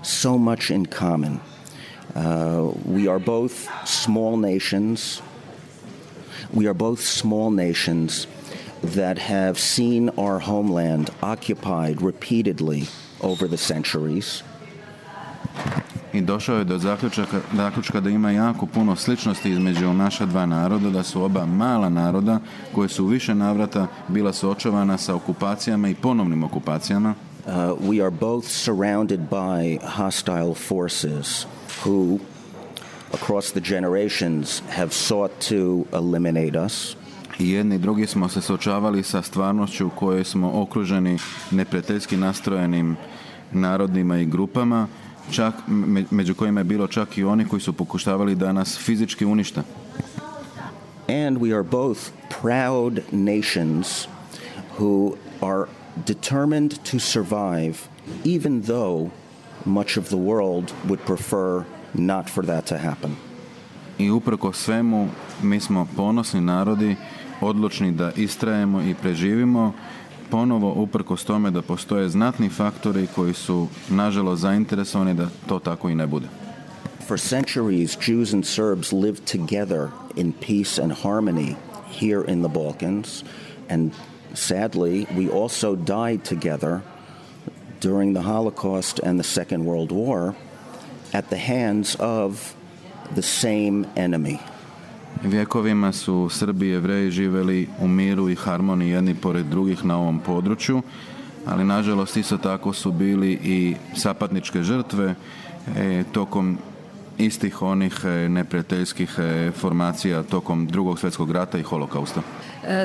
so much in common. We are both small nations. We are both small nations that have seen our homeland occupied repeatedly over the centuries. I došao je do zaključka da ima jako puno sličnosti između naša dva naroda, da su oba mala naroda koje su u više navrata bila suočavana sa okupacijama i ponovnim okupacijama. We are both surrounded by hostile forces who, across the generations, have sought to eliminate us. I jedni i drugi smo se suočavali sa stvarnošću u kojoj smo okruženi neprijateljski nastrojenim narodima i grupama, čak među kojima je bilo čak i oni koji su pokušavali da nas fizički unište. And we are both proud nations who are determined to survive even though much of the world would prefer not for that to happen. I uprko svemu mi smo ponosni narodi, odlučni da istrajemo i preživimo, ponovo uprkos tome da postoje znatni faktori koji su nažalost zainteresovani da to tako i ne bude. For centuries, Jews and Serbs lived together in peace and harmony here in the Balkans, and sadly, we also died together during the Holocaust and the Second World War, at the hands of the same enemy. Vjekovima su Srbi i Jevreji živjeli u miru i harmoniji jedni pored drugih na ovom području, ali nažalost isto tako su bili i sapatničke žrtve tokom istih onih neprijateljskih formacija tokom Drugog svjetskog rata i holokausta.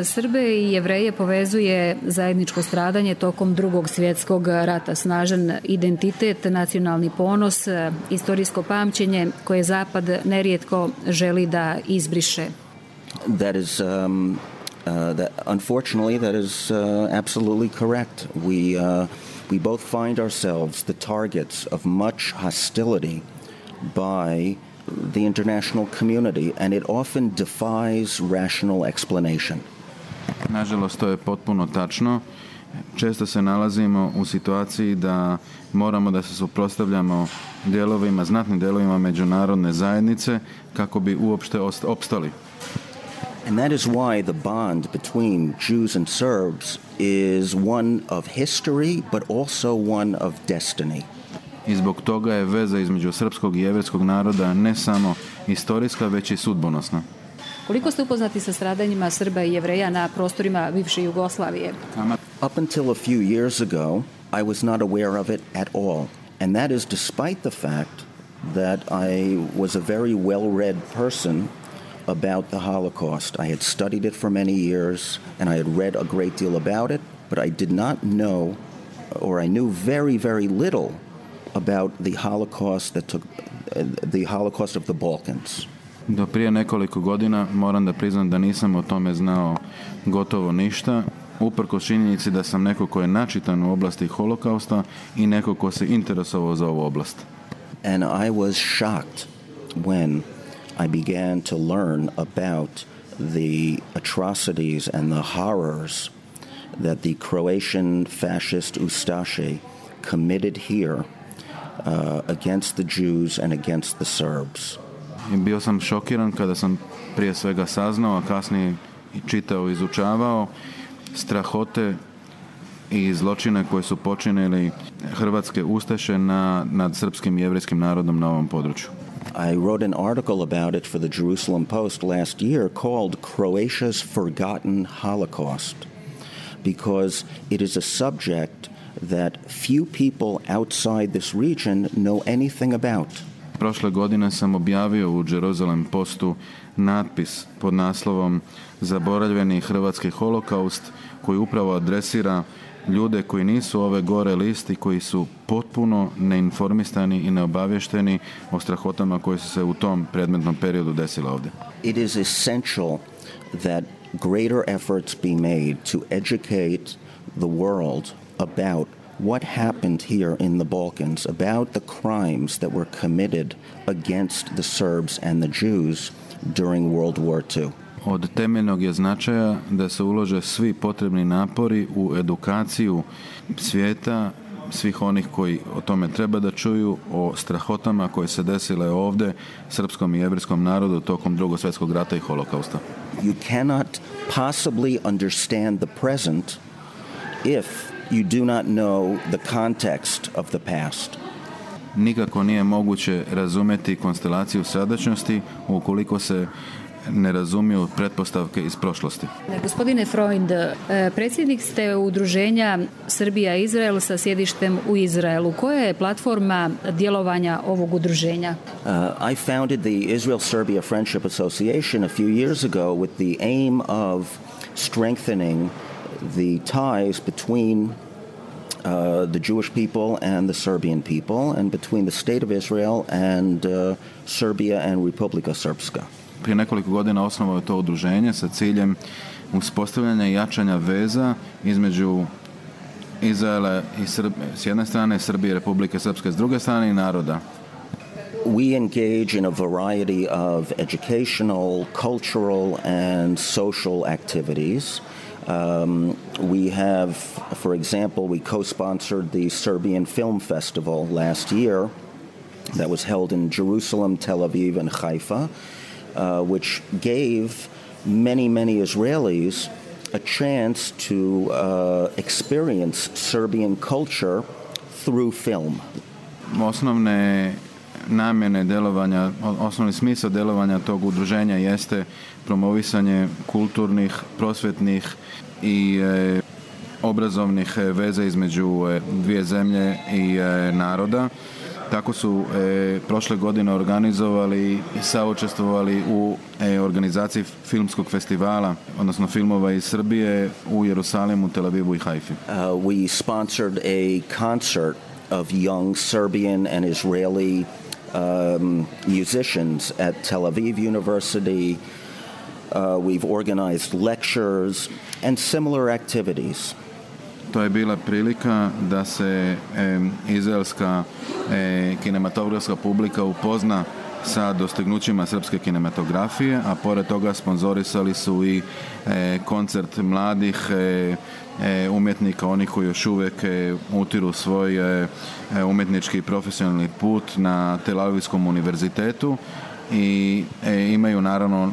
Srbe i Jevreje povezuje zajedničko stradanje tokom Drugog svjetskog rata, snažan identitet, nacionalni ponos, istorijsko pamćenje koje Zapad nerijetko želi da izbriše. That is unfortunately that is absolutely correct. We both find ourselves the targets of much hostility by the international community, and it often defies rational explanation. Nažalost, to je potpuno tačno. Često se nalazimo u situaciji da moramo da se suprotstavljamo znatnim dijelovima međunarodne zajednice kako bi uopšte opstali. And that is why the bond between Jews and Serbs is one of history, but also one of destiny. I zbog toga je veza između srpskog i jevrejskog naroda ne samo historijska, već i sudbonosna. Koliko ste upoznati sa stradanjima Srba i Jevreja na prostorima bivše Jugoslavije? Up until a few years ago, I was not aware of it at all. And that is despite the fact that I was a very well-read person about the Holocaust. I had studied it for many years, and I had read a great deal about it, but I did not know, or I knew very, very little about the Holocaust the Holocaust of the Balkans. Do prije nekoliko godina moram da priznam da nisam o tome znao gotovo ništa, uprkos činjenici da sam neko ko je načitan u oblasti holokausta i neko ko se interesovao za ovu oblast. And I was shocked when I began to learn about the atrocities and the horrors that the Croatian fascist Ustashi committed here against the Jews and against the Serbs. I bio sam šokiran kada sam prije svega saznao, a kasnije čitao i izučavao strahote i zločine koje su počinili hrvatske ustaše nad srpskim i jevrijskim narodom na ovom području. I wrote an article about it for the Jerusalem Post last year called Croatia's Forgotten Holocaust, because it is a subject that few people outside this region know anything about. Prošle godine sam objavio u Jerusalem Postu natpis pod naslovom Zaboravljeni hrvatski holokaust, koji upravo adresira ljude koji nisu ove gore listi, koji su potpuno neinformisani i neobavješteni o strahotama koje su se u tom predmetnom periodu desile ovdje. It is essential that greater efforts be made to educate the world about what happened here in the Balkans, about the crimes that were committed against the Serbs and the Jews during World War II. Od temeljnog je značaja da se ulože svi potrebni napori u edukaciju svijeta, svih onih koji o tome treba da čuju, o strahotama koje se desile ovdje srpskom i jevrijskom narodu tokom Drugog svjetskog rata i holokausta. You cannot possibly understand the present if you do not know the context of the past. Nikako nije moguće razumjeti konstelaciju sadašnjosti ukoliko se ne razumiju pretpostavke iz prošlosti. Gospodine Freund, predsjednik ste udruženja Srbija-Izrael sa sjedištem u Izraelu. Koja je platforma djelovanja ovog udruženja? I founded the Israel-Serbia Friendship Association a few years ago with the aim of strengthening the ties between the Jewish people and the Serbian people, and between the State of Israel and Serbia and Republika Srpska. Prije nekoliko godina osnovao je to udruženje sa ciljem uspostavljanja i jačanja veza između Izraela i s jedne strane, Srbije i Republike Srpske s druge strane i naroda. We engage in a variety of educational, cultural and social activities. We have, for example, we co-sponsored the Serbian Film Festival last year that was held in Jerusalem, Tel Aviv and Haifa, which gave many Israelis a chance to experience Serbian culture through film. Osnovne namjene djelovanja, osnovni smisao djelovanja tog udruženja jeste promovisanje kulturnih, prosvjetnih i obrazovnih veza između dvije zemlje i naroda. Tako su prošle godine organizovali i saučestvovali u organizaciji filmskog festivala, odnosno filmova iz Srbije u Jerusalimu, Tel Avivu i Haifi. We sponsored a concert of young Serbian and Israeli musicians at Tel Aviv University. We've organized lectures and similar activities. To je bila prilika da se izraelska kinematografska publika upozna sa dostignućima srpske kinematografije, a pored toga sponzorisali su i koncert mladih umjetnika, oni koji još uvijek utiru svoj umjetnički i profesionalni put na Tel Avivskom univerzitetu i imaju naravno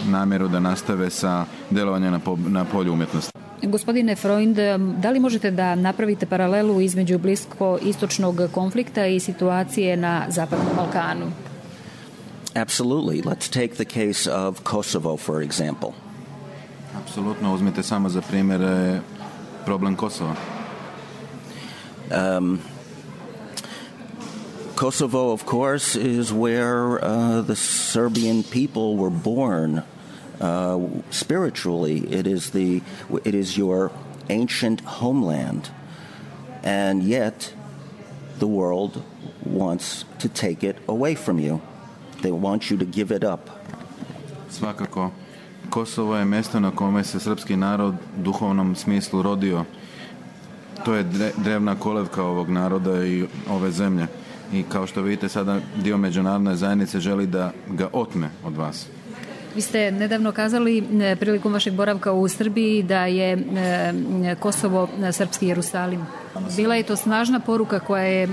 namjeru da nastave sa djelovanjem na polju umjetnosti. Gospodine Freund, da li možete da napravite paralelu između blisko-istočnog konflikta i situacije na Zapadnom Balkanu? Absolutely. Let's take the case of Kosovo, for example. Apsolutno, uzmite samo za primjer problem Kosova. Kosovo, of course, is where the Serbian people were born. Spiritually, it is your ancient homeland, and yet the world wants to take it away from you. They want you to give it up. Svakako, Kosovo je mjesto na kome se srpski narod u duhovnom smislu rodio. To je drevna kolevka ovog naroda i ove zemlje. I kao što vidite, sada dio međunarodne zajednice želi da ga otme od vas. Vi ste nedavno kazali prilikom vašeg boravka u Srbiji da je Kosovo srpski Jerusalim. Bila je to snažna poruka koja je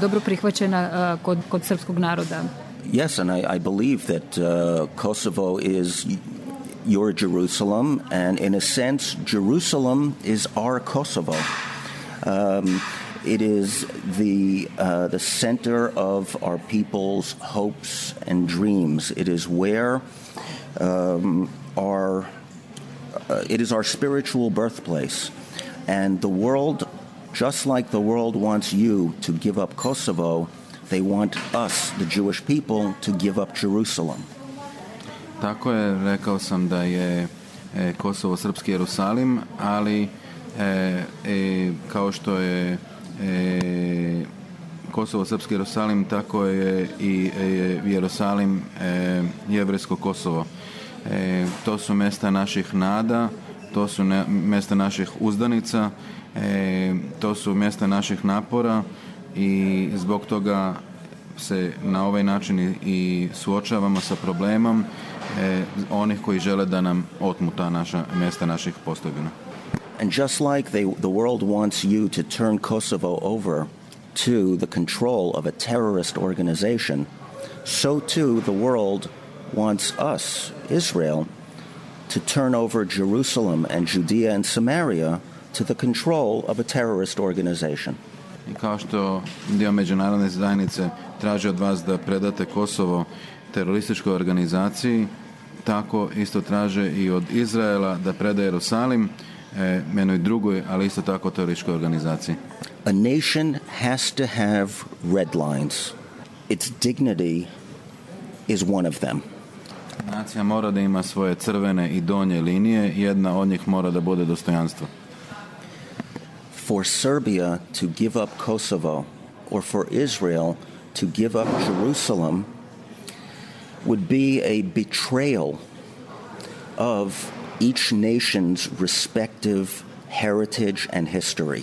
dobro prihvaćena kod srpskog naroda. Yes, and I believe that Kosovo is your Jerusalem, and in a sense, Jerusalem is our Kosovo. It is the center of our people's hopes and dreams. It is where it is our spiritual birthplace, and the world, just like the world wants you to give up Kosovo, they want us, the Jewish people, to give up Jerusalem. Tako je, rekao sam da je Kosovo srpski Jerusalim, ali kao što je Kosovo srpski Jerusalim, tako je i Jerusalim jevrejsko Kosovo. To su mjesta naših nada, to su mjesta naših uzdanica, to su mjesta naših napora i zbog toga se na ovaj način i suočavamo sa problemom onih koji žele da nam otmu ta naša mjesta naših postavljena. And just like the world wants you to turn Kosovo over to the control of a terrorist organization, so too the world wants us, Israel, to turn over Jerusalem and Judea and Samaria to the control of a terrorist organization. I kao što dio međunarodne zajednice traži od vas da predate Kosovo terorističkoj organizaciji, tako isto traže i od Izraela da preda Jerusalim jednoj drugoj, ali isto tako terorističkoj organizaciji. A nation has to have red lines. Its dignity is one of them. Nacija mora da ima svoje crvene i donje linije, jedna od njih mora da bude dostojanstvo. For Serbia to give up Kosovo, or for Israel to give up Jerusalem, would be a betrayal of each nation's respective heritage and history.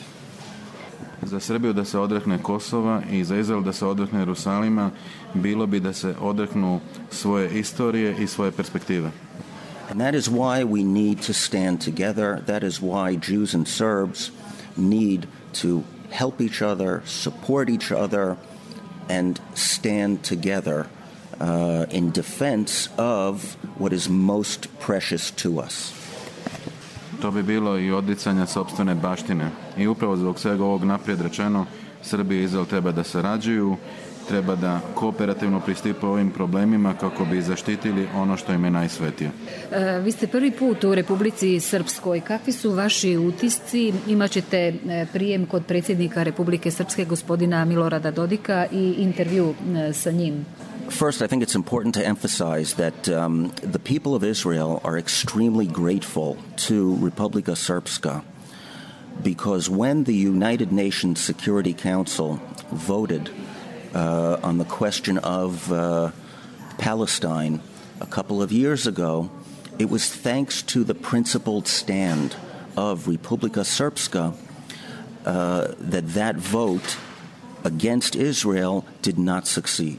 Za Srbiju da se odrekne Kosova i za Izrael da se odrekne Jerusalima, bilo bi da se odreknu svoje istorije i svoje perspektive. And that is why we need to stand together. That is why Jews and Serbs need to help each other, support each other, and stand together in defense of what is most precious to us. To bi bilo i odricanja sopstvene baštine. I upravo zbog svega ovog naprijed rečeno, Srbija i Izrael treba da sarađuju, treba da kooperativno pristupe ovim problemima kako bi zaštitili ono što im je najsvetije. Vi ste prvi put u Republici Srpskoj. Kakvi su vaši utisci? Imaćete prijem kod predsjednika Republike Srpske gospodina Milorada Dodika i intervju sa njim. First, I think it's important to emphasize that the people of Israel are extremely grateful to Republika Srpska because when the United Nations Security Council voted on the question of Palestine a couple of years ago, it was thanks to the principled stand of Republika Srpska that vote against Israel did not succeed.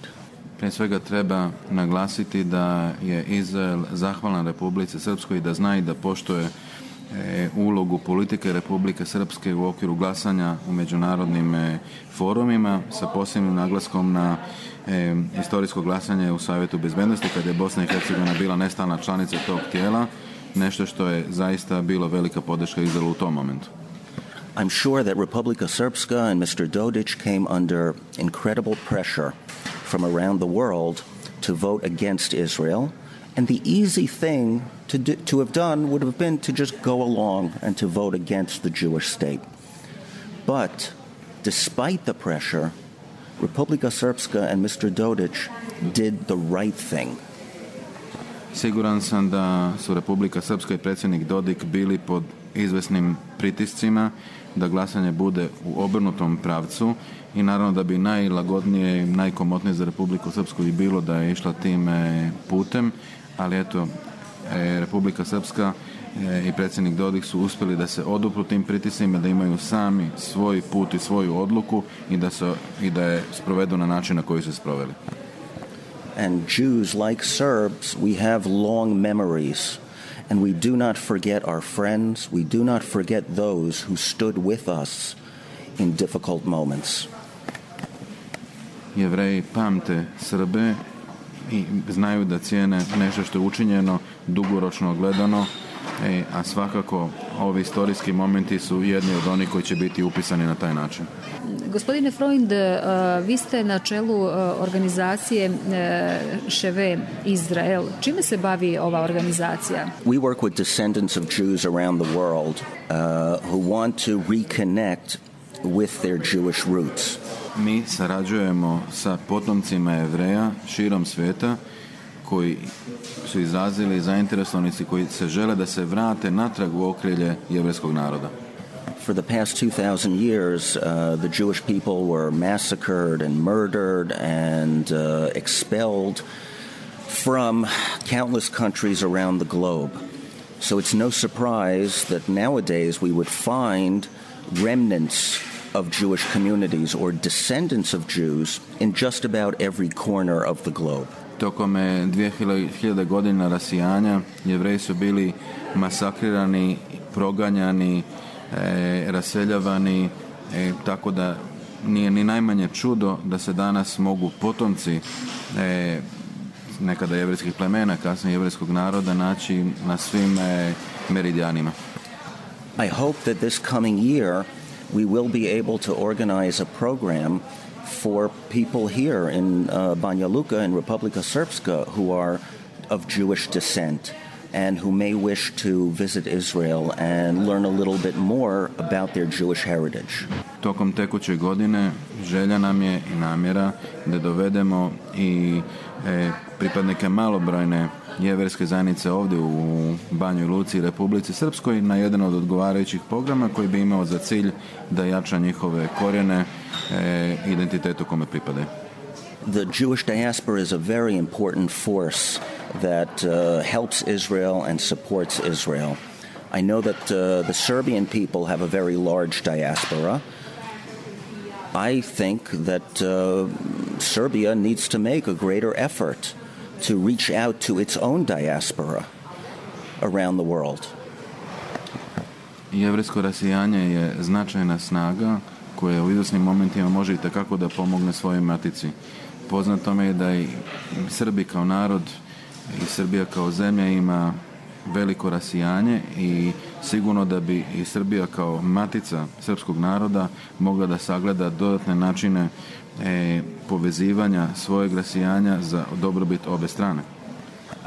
Prije svega treba naglasiti da je Izrael zahvalan Republici Srpskoj i da zna i da poštuje ulogu politike Republike Srpske u okviru glasanja u međunarodnim forumima sa posebnim naglaskom na historijsko glasanje u Savjetu bezbednosti kada je Bosna i Hercegovina bila nestalna članica tog tijela, nešto što je zaista bilo velika podrška Izraelu u tom momentu. I'm sure that Republika Srpska and Mr. Dodic came under incredible pressure from around the world to vote against Israel, and the easy thing to have done would have been to just go along and to vote against the Jewish state. But despite the pressure, Republika Srpska and Mr. Dodic did the right thing. Siguran sam da su Republika Srpska i predsjednik Dodik bili pod izvesnim pritiscima da glasanje bude u obrnutom pravcu i naravno da bi najlagodnije i najkomotnije za Republiku Srpsku i bilo da je išla tim putem, ali eto, Republika Srpska i predsjednik Dodik su uspjeli da se odupru tim pritiscima, da imaju sami svoj put i svoju odluku i da je sprovedu na način na koji su sproveli. And Jews, like Serbs, we have long memories. And we do not forget our friends. We do not forget those who stood with us in difficult moments. Jevreji pamte Srbe i znaju da cijene nešto što je učinjeno dugoročno gledano, a svakako ovi istorijski momenti su jedni od onih koji će biti upisani na taj način. Gospodine Freund, vi ste na čelu organizacije Ševe Izrael. Čime se bavi ova organizacija? We work with descendants of Jews around the world who want to reconnect with their Jewish roots. Mi sarađujemo sa potomcima Jevreja širom svijeta koji su izrazili zainteresovanici koji se žele da se vrate natrag u okrilje jevrejskog naroda. For the past 2000 years, the Jewish people were massacred and murdered and expelled from countless countries around the globe. So it's no surprise that nowadays we would find remnants of Jewish communities or descendants of Jews in just about every corner of the globe. Tokom 2000 godina rasijanja Jevreji su bili masakrirani, proganjani, raseljavani, tako da nije ni najmanje čudo da se danas mogu potomci nekada jevrejskih plemena, kasnije jevrejskog naroda naći na svim meridijanima. I hope that this coming year we will be able to organize a program for people here in Banja Luka and Republika Srpska who are of Jewish descent and who may wish to visit Israel and learn a little bit more about their Jewish heritage. Tokom tekuće godine želja nam je i namjera da dovedemo i pripadnike malobrojne jeverske zajednice ovdje u Banjoj Luci i Republici Srpskoj na jedan od odgovarajućih programa koji bi imao za cilj da jača njihove korijene, identitetu kome pripadaju. The Jewish diaspora is a very important force that helps Israel and supports Israel. I know that the Serbian people have a very large diaspora. I think that Serbia needs to make a greater effort to reach out to its own diaspora around the world. Jevrejsko rasijanje je značajna snaga koja u izvjesnim momentima može itekako da pomogne svojoj matici. Poznato mi je da i Srbi kao narod i Srbija kao zemlja ima veliko rasijanje i sigurno da bi i Srbija kao matica srpskog naroda mogla da sagleda dodatne načine povezivanja, svojeg rasijanja za dobrobit obe strane.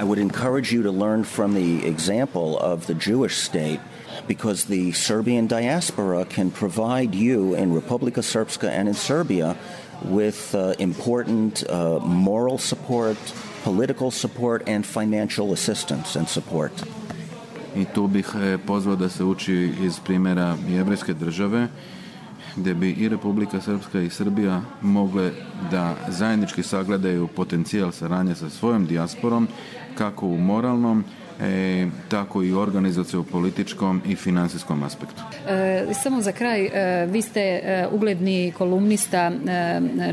I would encourage you to learn from the example of the Jewish state, because the Serbian diaspora can provide you in Republika Srpska and in Serbia with important moral support, political support, and financial assistance and support. I tu bih pozvao da se uči iz primjera jevrejske države, gdje bi i Republika Srpska i Srbija mogle da zajednički sagledaju potencijal saradnje sa svojom dijasporom, kako u moralnom, tako i u organizacijom, političkom i financijskom aspektu. Samo za kraj, vi ste ugledni kolumnista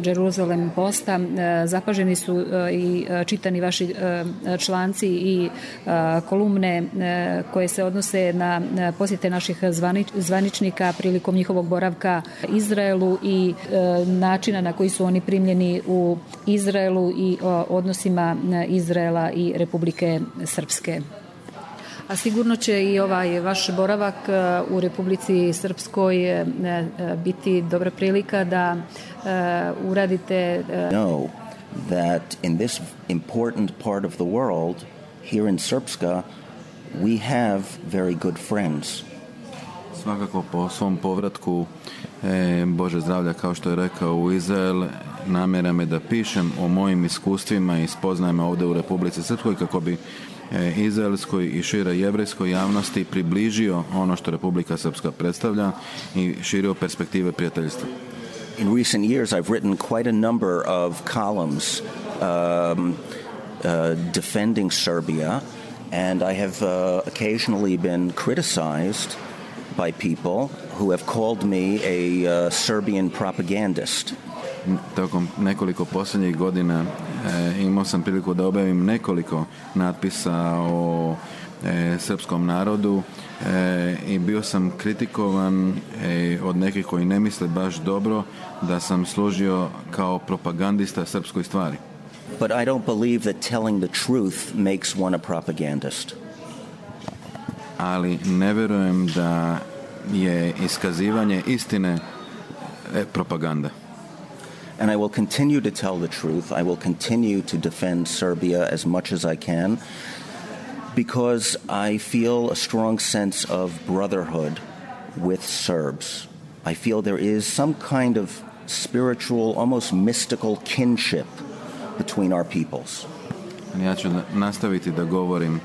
Jerusalem Posta, zapaženi su i čitani vaši članci i kolumne koje se odnose na posjete naših zvaničnika prilikom njihovog boravka Izraelu i načina na koji su oni primljeni u Izraelu i odnosima Izraela i Republike Srpske. A sigurno će i ovaj vaš boravak u Republici Srpskoj biti dobra prilika da uradite. Know that in this important part of the world, here in Srpska, we have very good friends. Svakako po svom povratku, Bože zdravlja, kao što je rekao, u Izrael, namjera me da pišem o mojim iskustvima i spoznajama ovdje u Republici Srpskoj kako bi izraelskoj i šire jevrejskoj javnosti približio ono što Republika Srpska predstavlja i širio perspektive prijateljstva. In recent years I've written quite a number of columns defending Serbia, and I have occasionally been criticized by people who have called me a Serbian propagandist. Tokom nekoliko posljednjih godina imao sam priliku da objavim nekoliko natpisa o srpskom narodu i bio sam kritikovan od nekih koji ne misle baš dobro da sam služio kao propagandista srpskoj stvari. But I don't believe that telling the truth makes one a propagandist. Ali ne vjerujem da je iskazivanje istine propaganda. And I will continue to tell the truth. I will continue to defend Serbia as much as I can, because I feel a strong sense of brotherhood with Serbs. I feel there is some kind of spiritual, almost mystical kinship between our peoples. Ja ću nastaviti da govorim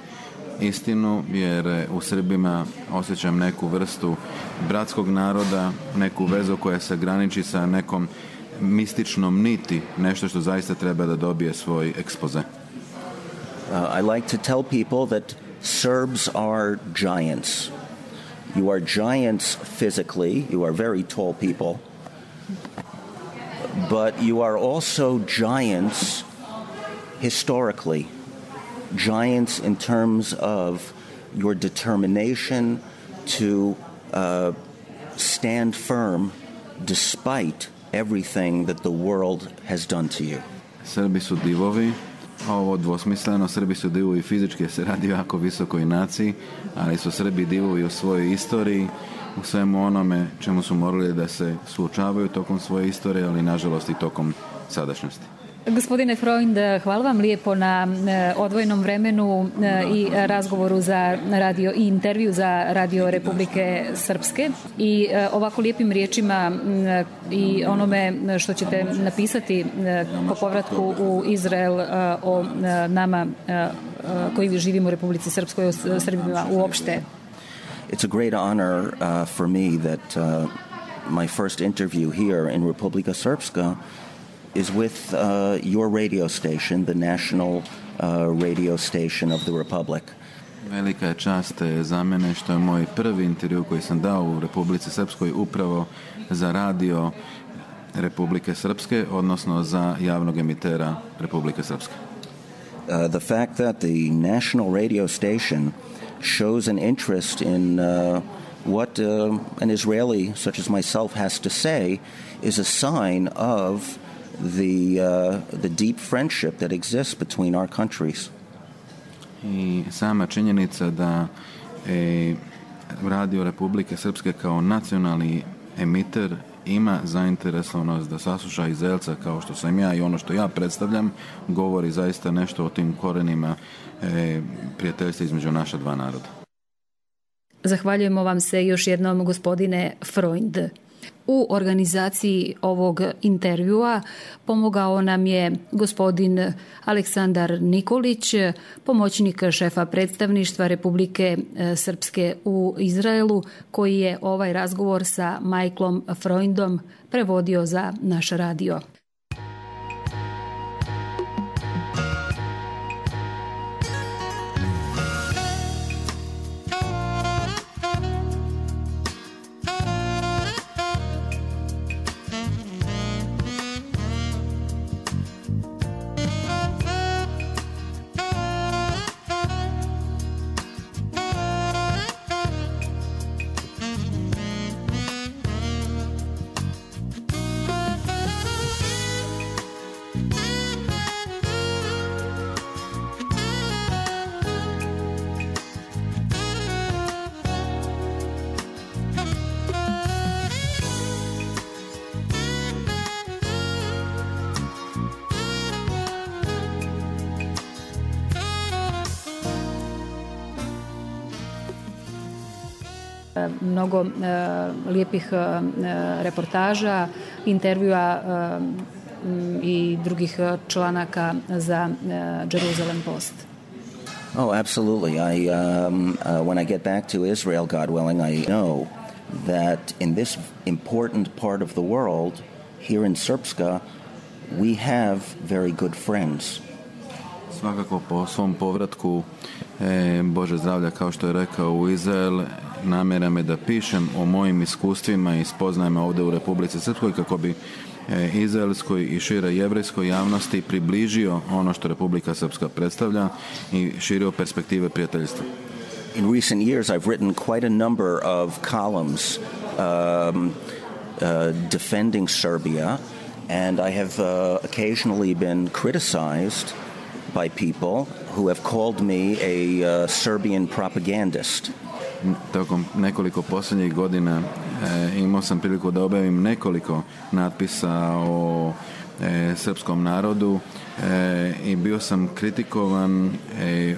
istinu, jer u Srbima osjećam neku vrstu bratskog naroda, neku vezu koja se graniči sa nekom mističnom niti, nešto što zaista treba da dobije svoj ekspoze. I like to tell people that Serbs are giants. You are giants physically, you are very tall people, but you are also giants historically. Giants in terms of your determination to stand firm despite everything that the world has done to you. Srbi su divovi, ovo dvosmisleno, Srbi su divovi fizički, se radi o jako visokoj naciji, ali su Srbi divovi u svojoj istoriji, u svemu onome čemu su morali da se suočavaju tokom svoje istorije, ali nažalost i tokom sadašnjosti. Gospodine Freund, hvala vam lijepo na odvojenom vremenu i razgovoru za radio i intervju za Radio Republike Srpske i ovako lijepim riječima i onome što ćete napisati po povratku u Izrael o nama koji živimo u Republici Srpskoj, o Srbima uopšte. It's a great honor for me that my first interview here in Republika Srpska is with your radio station, the national radio station of the Republic. Velika je čast za mene što je moj prvi intervju koji sam dao u Republici Srpskoj upravo za radio Republike Srpske, odnosno za javnog emitera Republike Srpske. The fact that the national radio station shows an interest in what an Israeli such as myself has to say is a sign of the deep friendship that exists between our countries. I sama činjenica da Radio Republike Srpske kao nacionalni emiter ima zainteresovanost da sasluša Izraelca kao što sam ja i ono što ja predstavljam, govori zaista nešto o tim korenima prijateljstva između naša dva naroda. Zahvaljujemo vam se još jednom, gospodine Freund. U organizaciji ovog intervjua pomogao nam je gospodin Aleksandar Nikolić, pomoćnik šefa predstavništva Republike Srpske u Izraelu, koji je ovaj razgovor sa Michaelom Freundom prevodio za naš radio. Mnogo lijepih reportaža, intervjua i drugih članaka za Jerusalem Post. Oh, absolutely. When I get back to Israel, God willing, I know that in this important part of the world, here in Srpska, we have very good friends. Svakako po svom povratku, Bože zdravlja, kao što je rekao, u Izrael, namjera me da pišem o mojim iskustvima i spoznajama ovdje u Republici Srpskoj kako bi izraelskoj i šire jevrejskoj javnosti približio ono što Republika Srpska predstavlja i širio perspektive prijateljstva. In recent years I've written quite a number of columns defending Serbia, and I have occasionally been criticized by people who have called me a Serbian propagandist. Tokom nekoliko posljednjih godina imao sam priliku da objavim nekoliko natpisa o srpskom narodu i bio sam kritikovan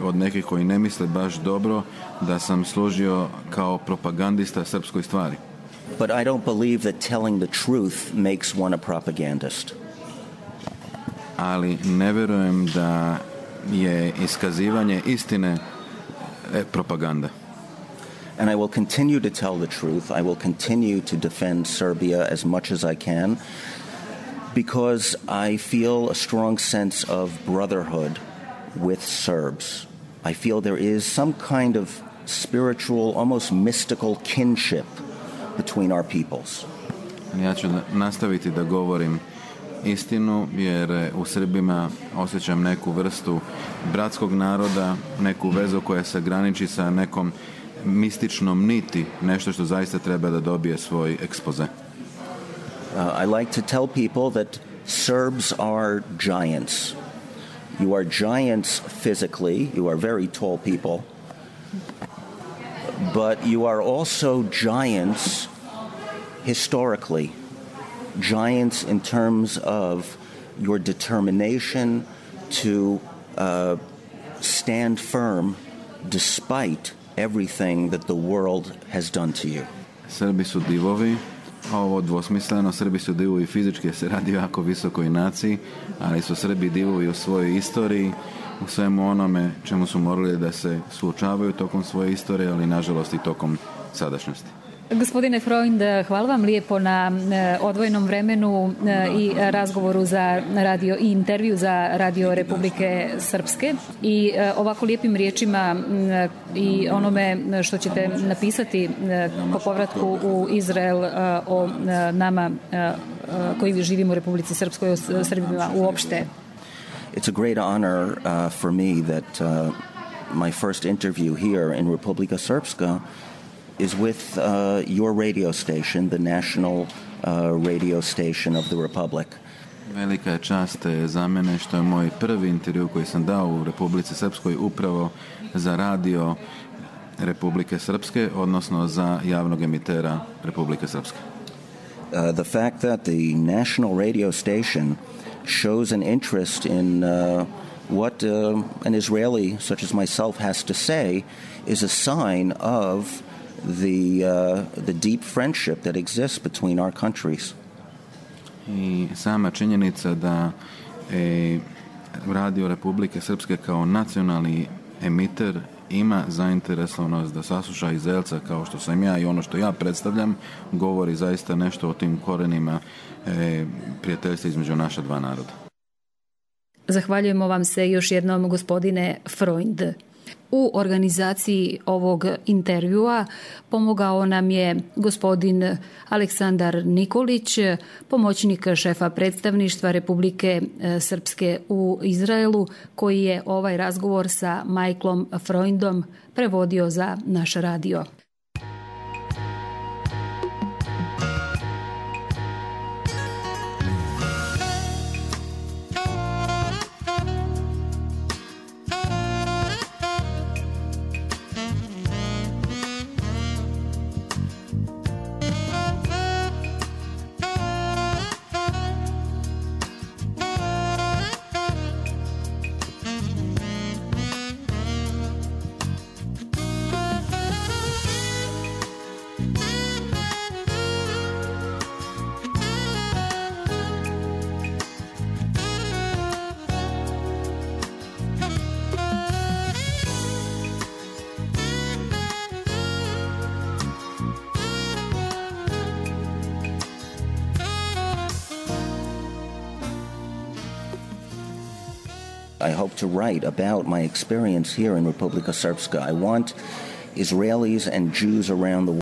od nekih koji ne misle baš dobro da sam služio kao propagandista srpskoj stvari. But I don't believe that telling the truth makes one a propagandist. Ali ne vjerujem da je iskazivanje istine propaganda. And I will continue to tell the truth. I will continue to defend Serbia as much as I can because I feel a strong sense of brotherhood with Serbs. I feel there is some kind of spiritual, almost mystical kinship between our peoples. Ja ću nastaviti da govorim istinu jer u Srbima osjećam neku vrstu bratskog naroda, neku vezu koja se graniči sa nekom mističnom niti, nešto što zaista treba da dobije svoj ekspoze. I like to tell people that Serbs are giants. You are giants physically, you are very tall people, but you are also giants historically. Giants in terms of your determination to stand firm despite everything that the world has done to you. Srbi su divovi, ovo dvosmisleno, Srbi su divovi fizički jer se radi o jako visokoj naciji, ali su Srbi divovi u svojoj istoriji, u svemu onome čemu su morali da se suočavaju tokom svoje istorije, ali nažalost i tokom sadašnjosti. Gospodine Freund, hvala vam lijepo na odvojenom vremenu i razgovoru za radio i intervju za Radio Republike Srpske i ovako lijepim riječima i onome što ćete napisati po povratku u Izrael o nama koji živimo u Republici Srpskoj, o Srbima uopšte. It's a great honor for me that my first interview here in Republika Srpska is with your radio station, the national radio station of the Republic. Velika je čast za mene što je moj prvi intervju koji sam dao u Republici Srpskoj upravo za radio Republike Srpske, odnosno za javnog emitera Republike Srpske. The fact that the national radio station shows an interest in what an Israeli such as myself has to say is a sign of the deep friendship that exists between our countries. I sama činjenica da Radio Republike Srpske kao nacionalni emiter ima zainteresovanost da sasluša Izraelca kao što sam ja i ono što ja predstavljam, govori zaista nešto o tim korenima prijateljstva između naša dva naroda. Zahvaljujemo vam se još jednom, gospodine Freund. U organizaciji ovog intervjua pomogao nam je gospodin Aleksandar Nikolić, pomoćnik šefa predstavništva Republike Srpske u Izraelu, koji je ovaj razgovor sa Michaelom Freundom prevodio za naš radio. I hope to write about my experience here in Republika Srpska. I want Israelis and Jews around the world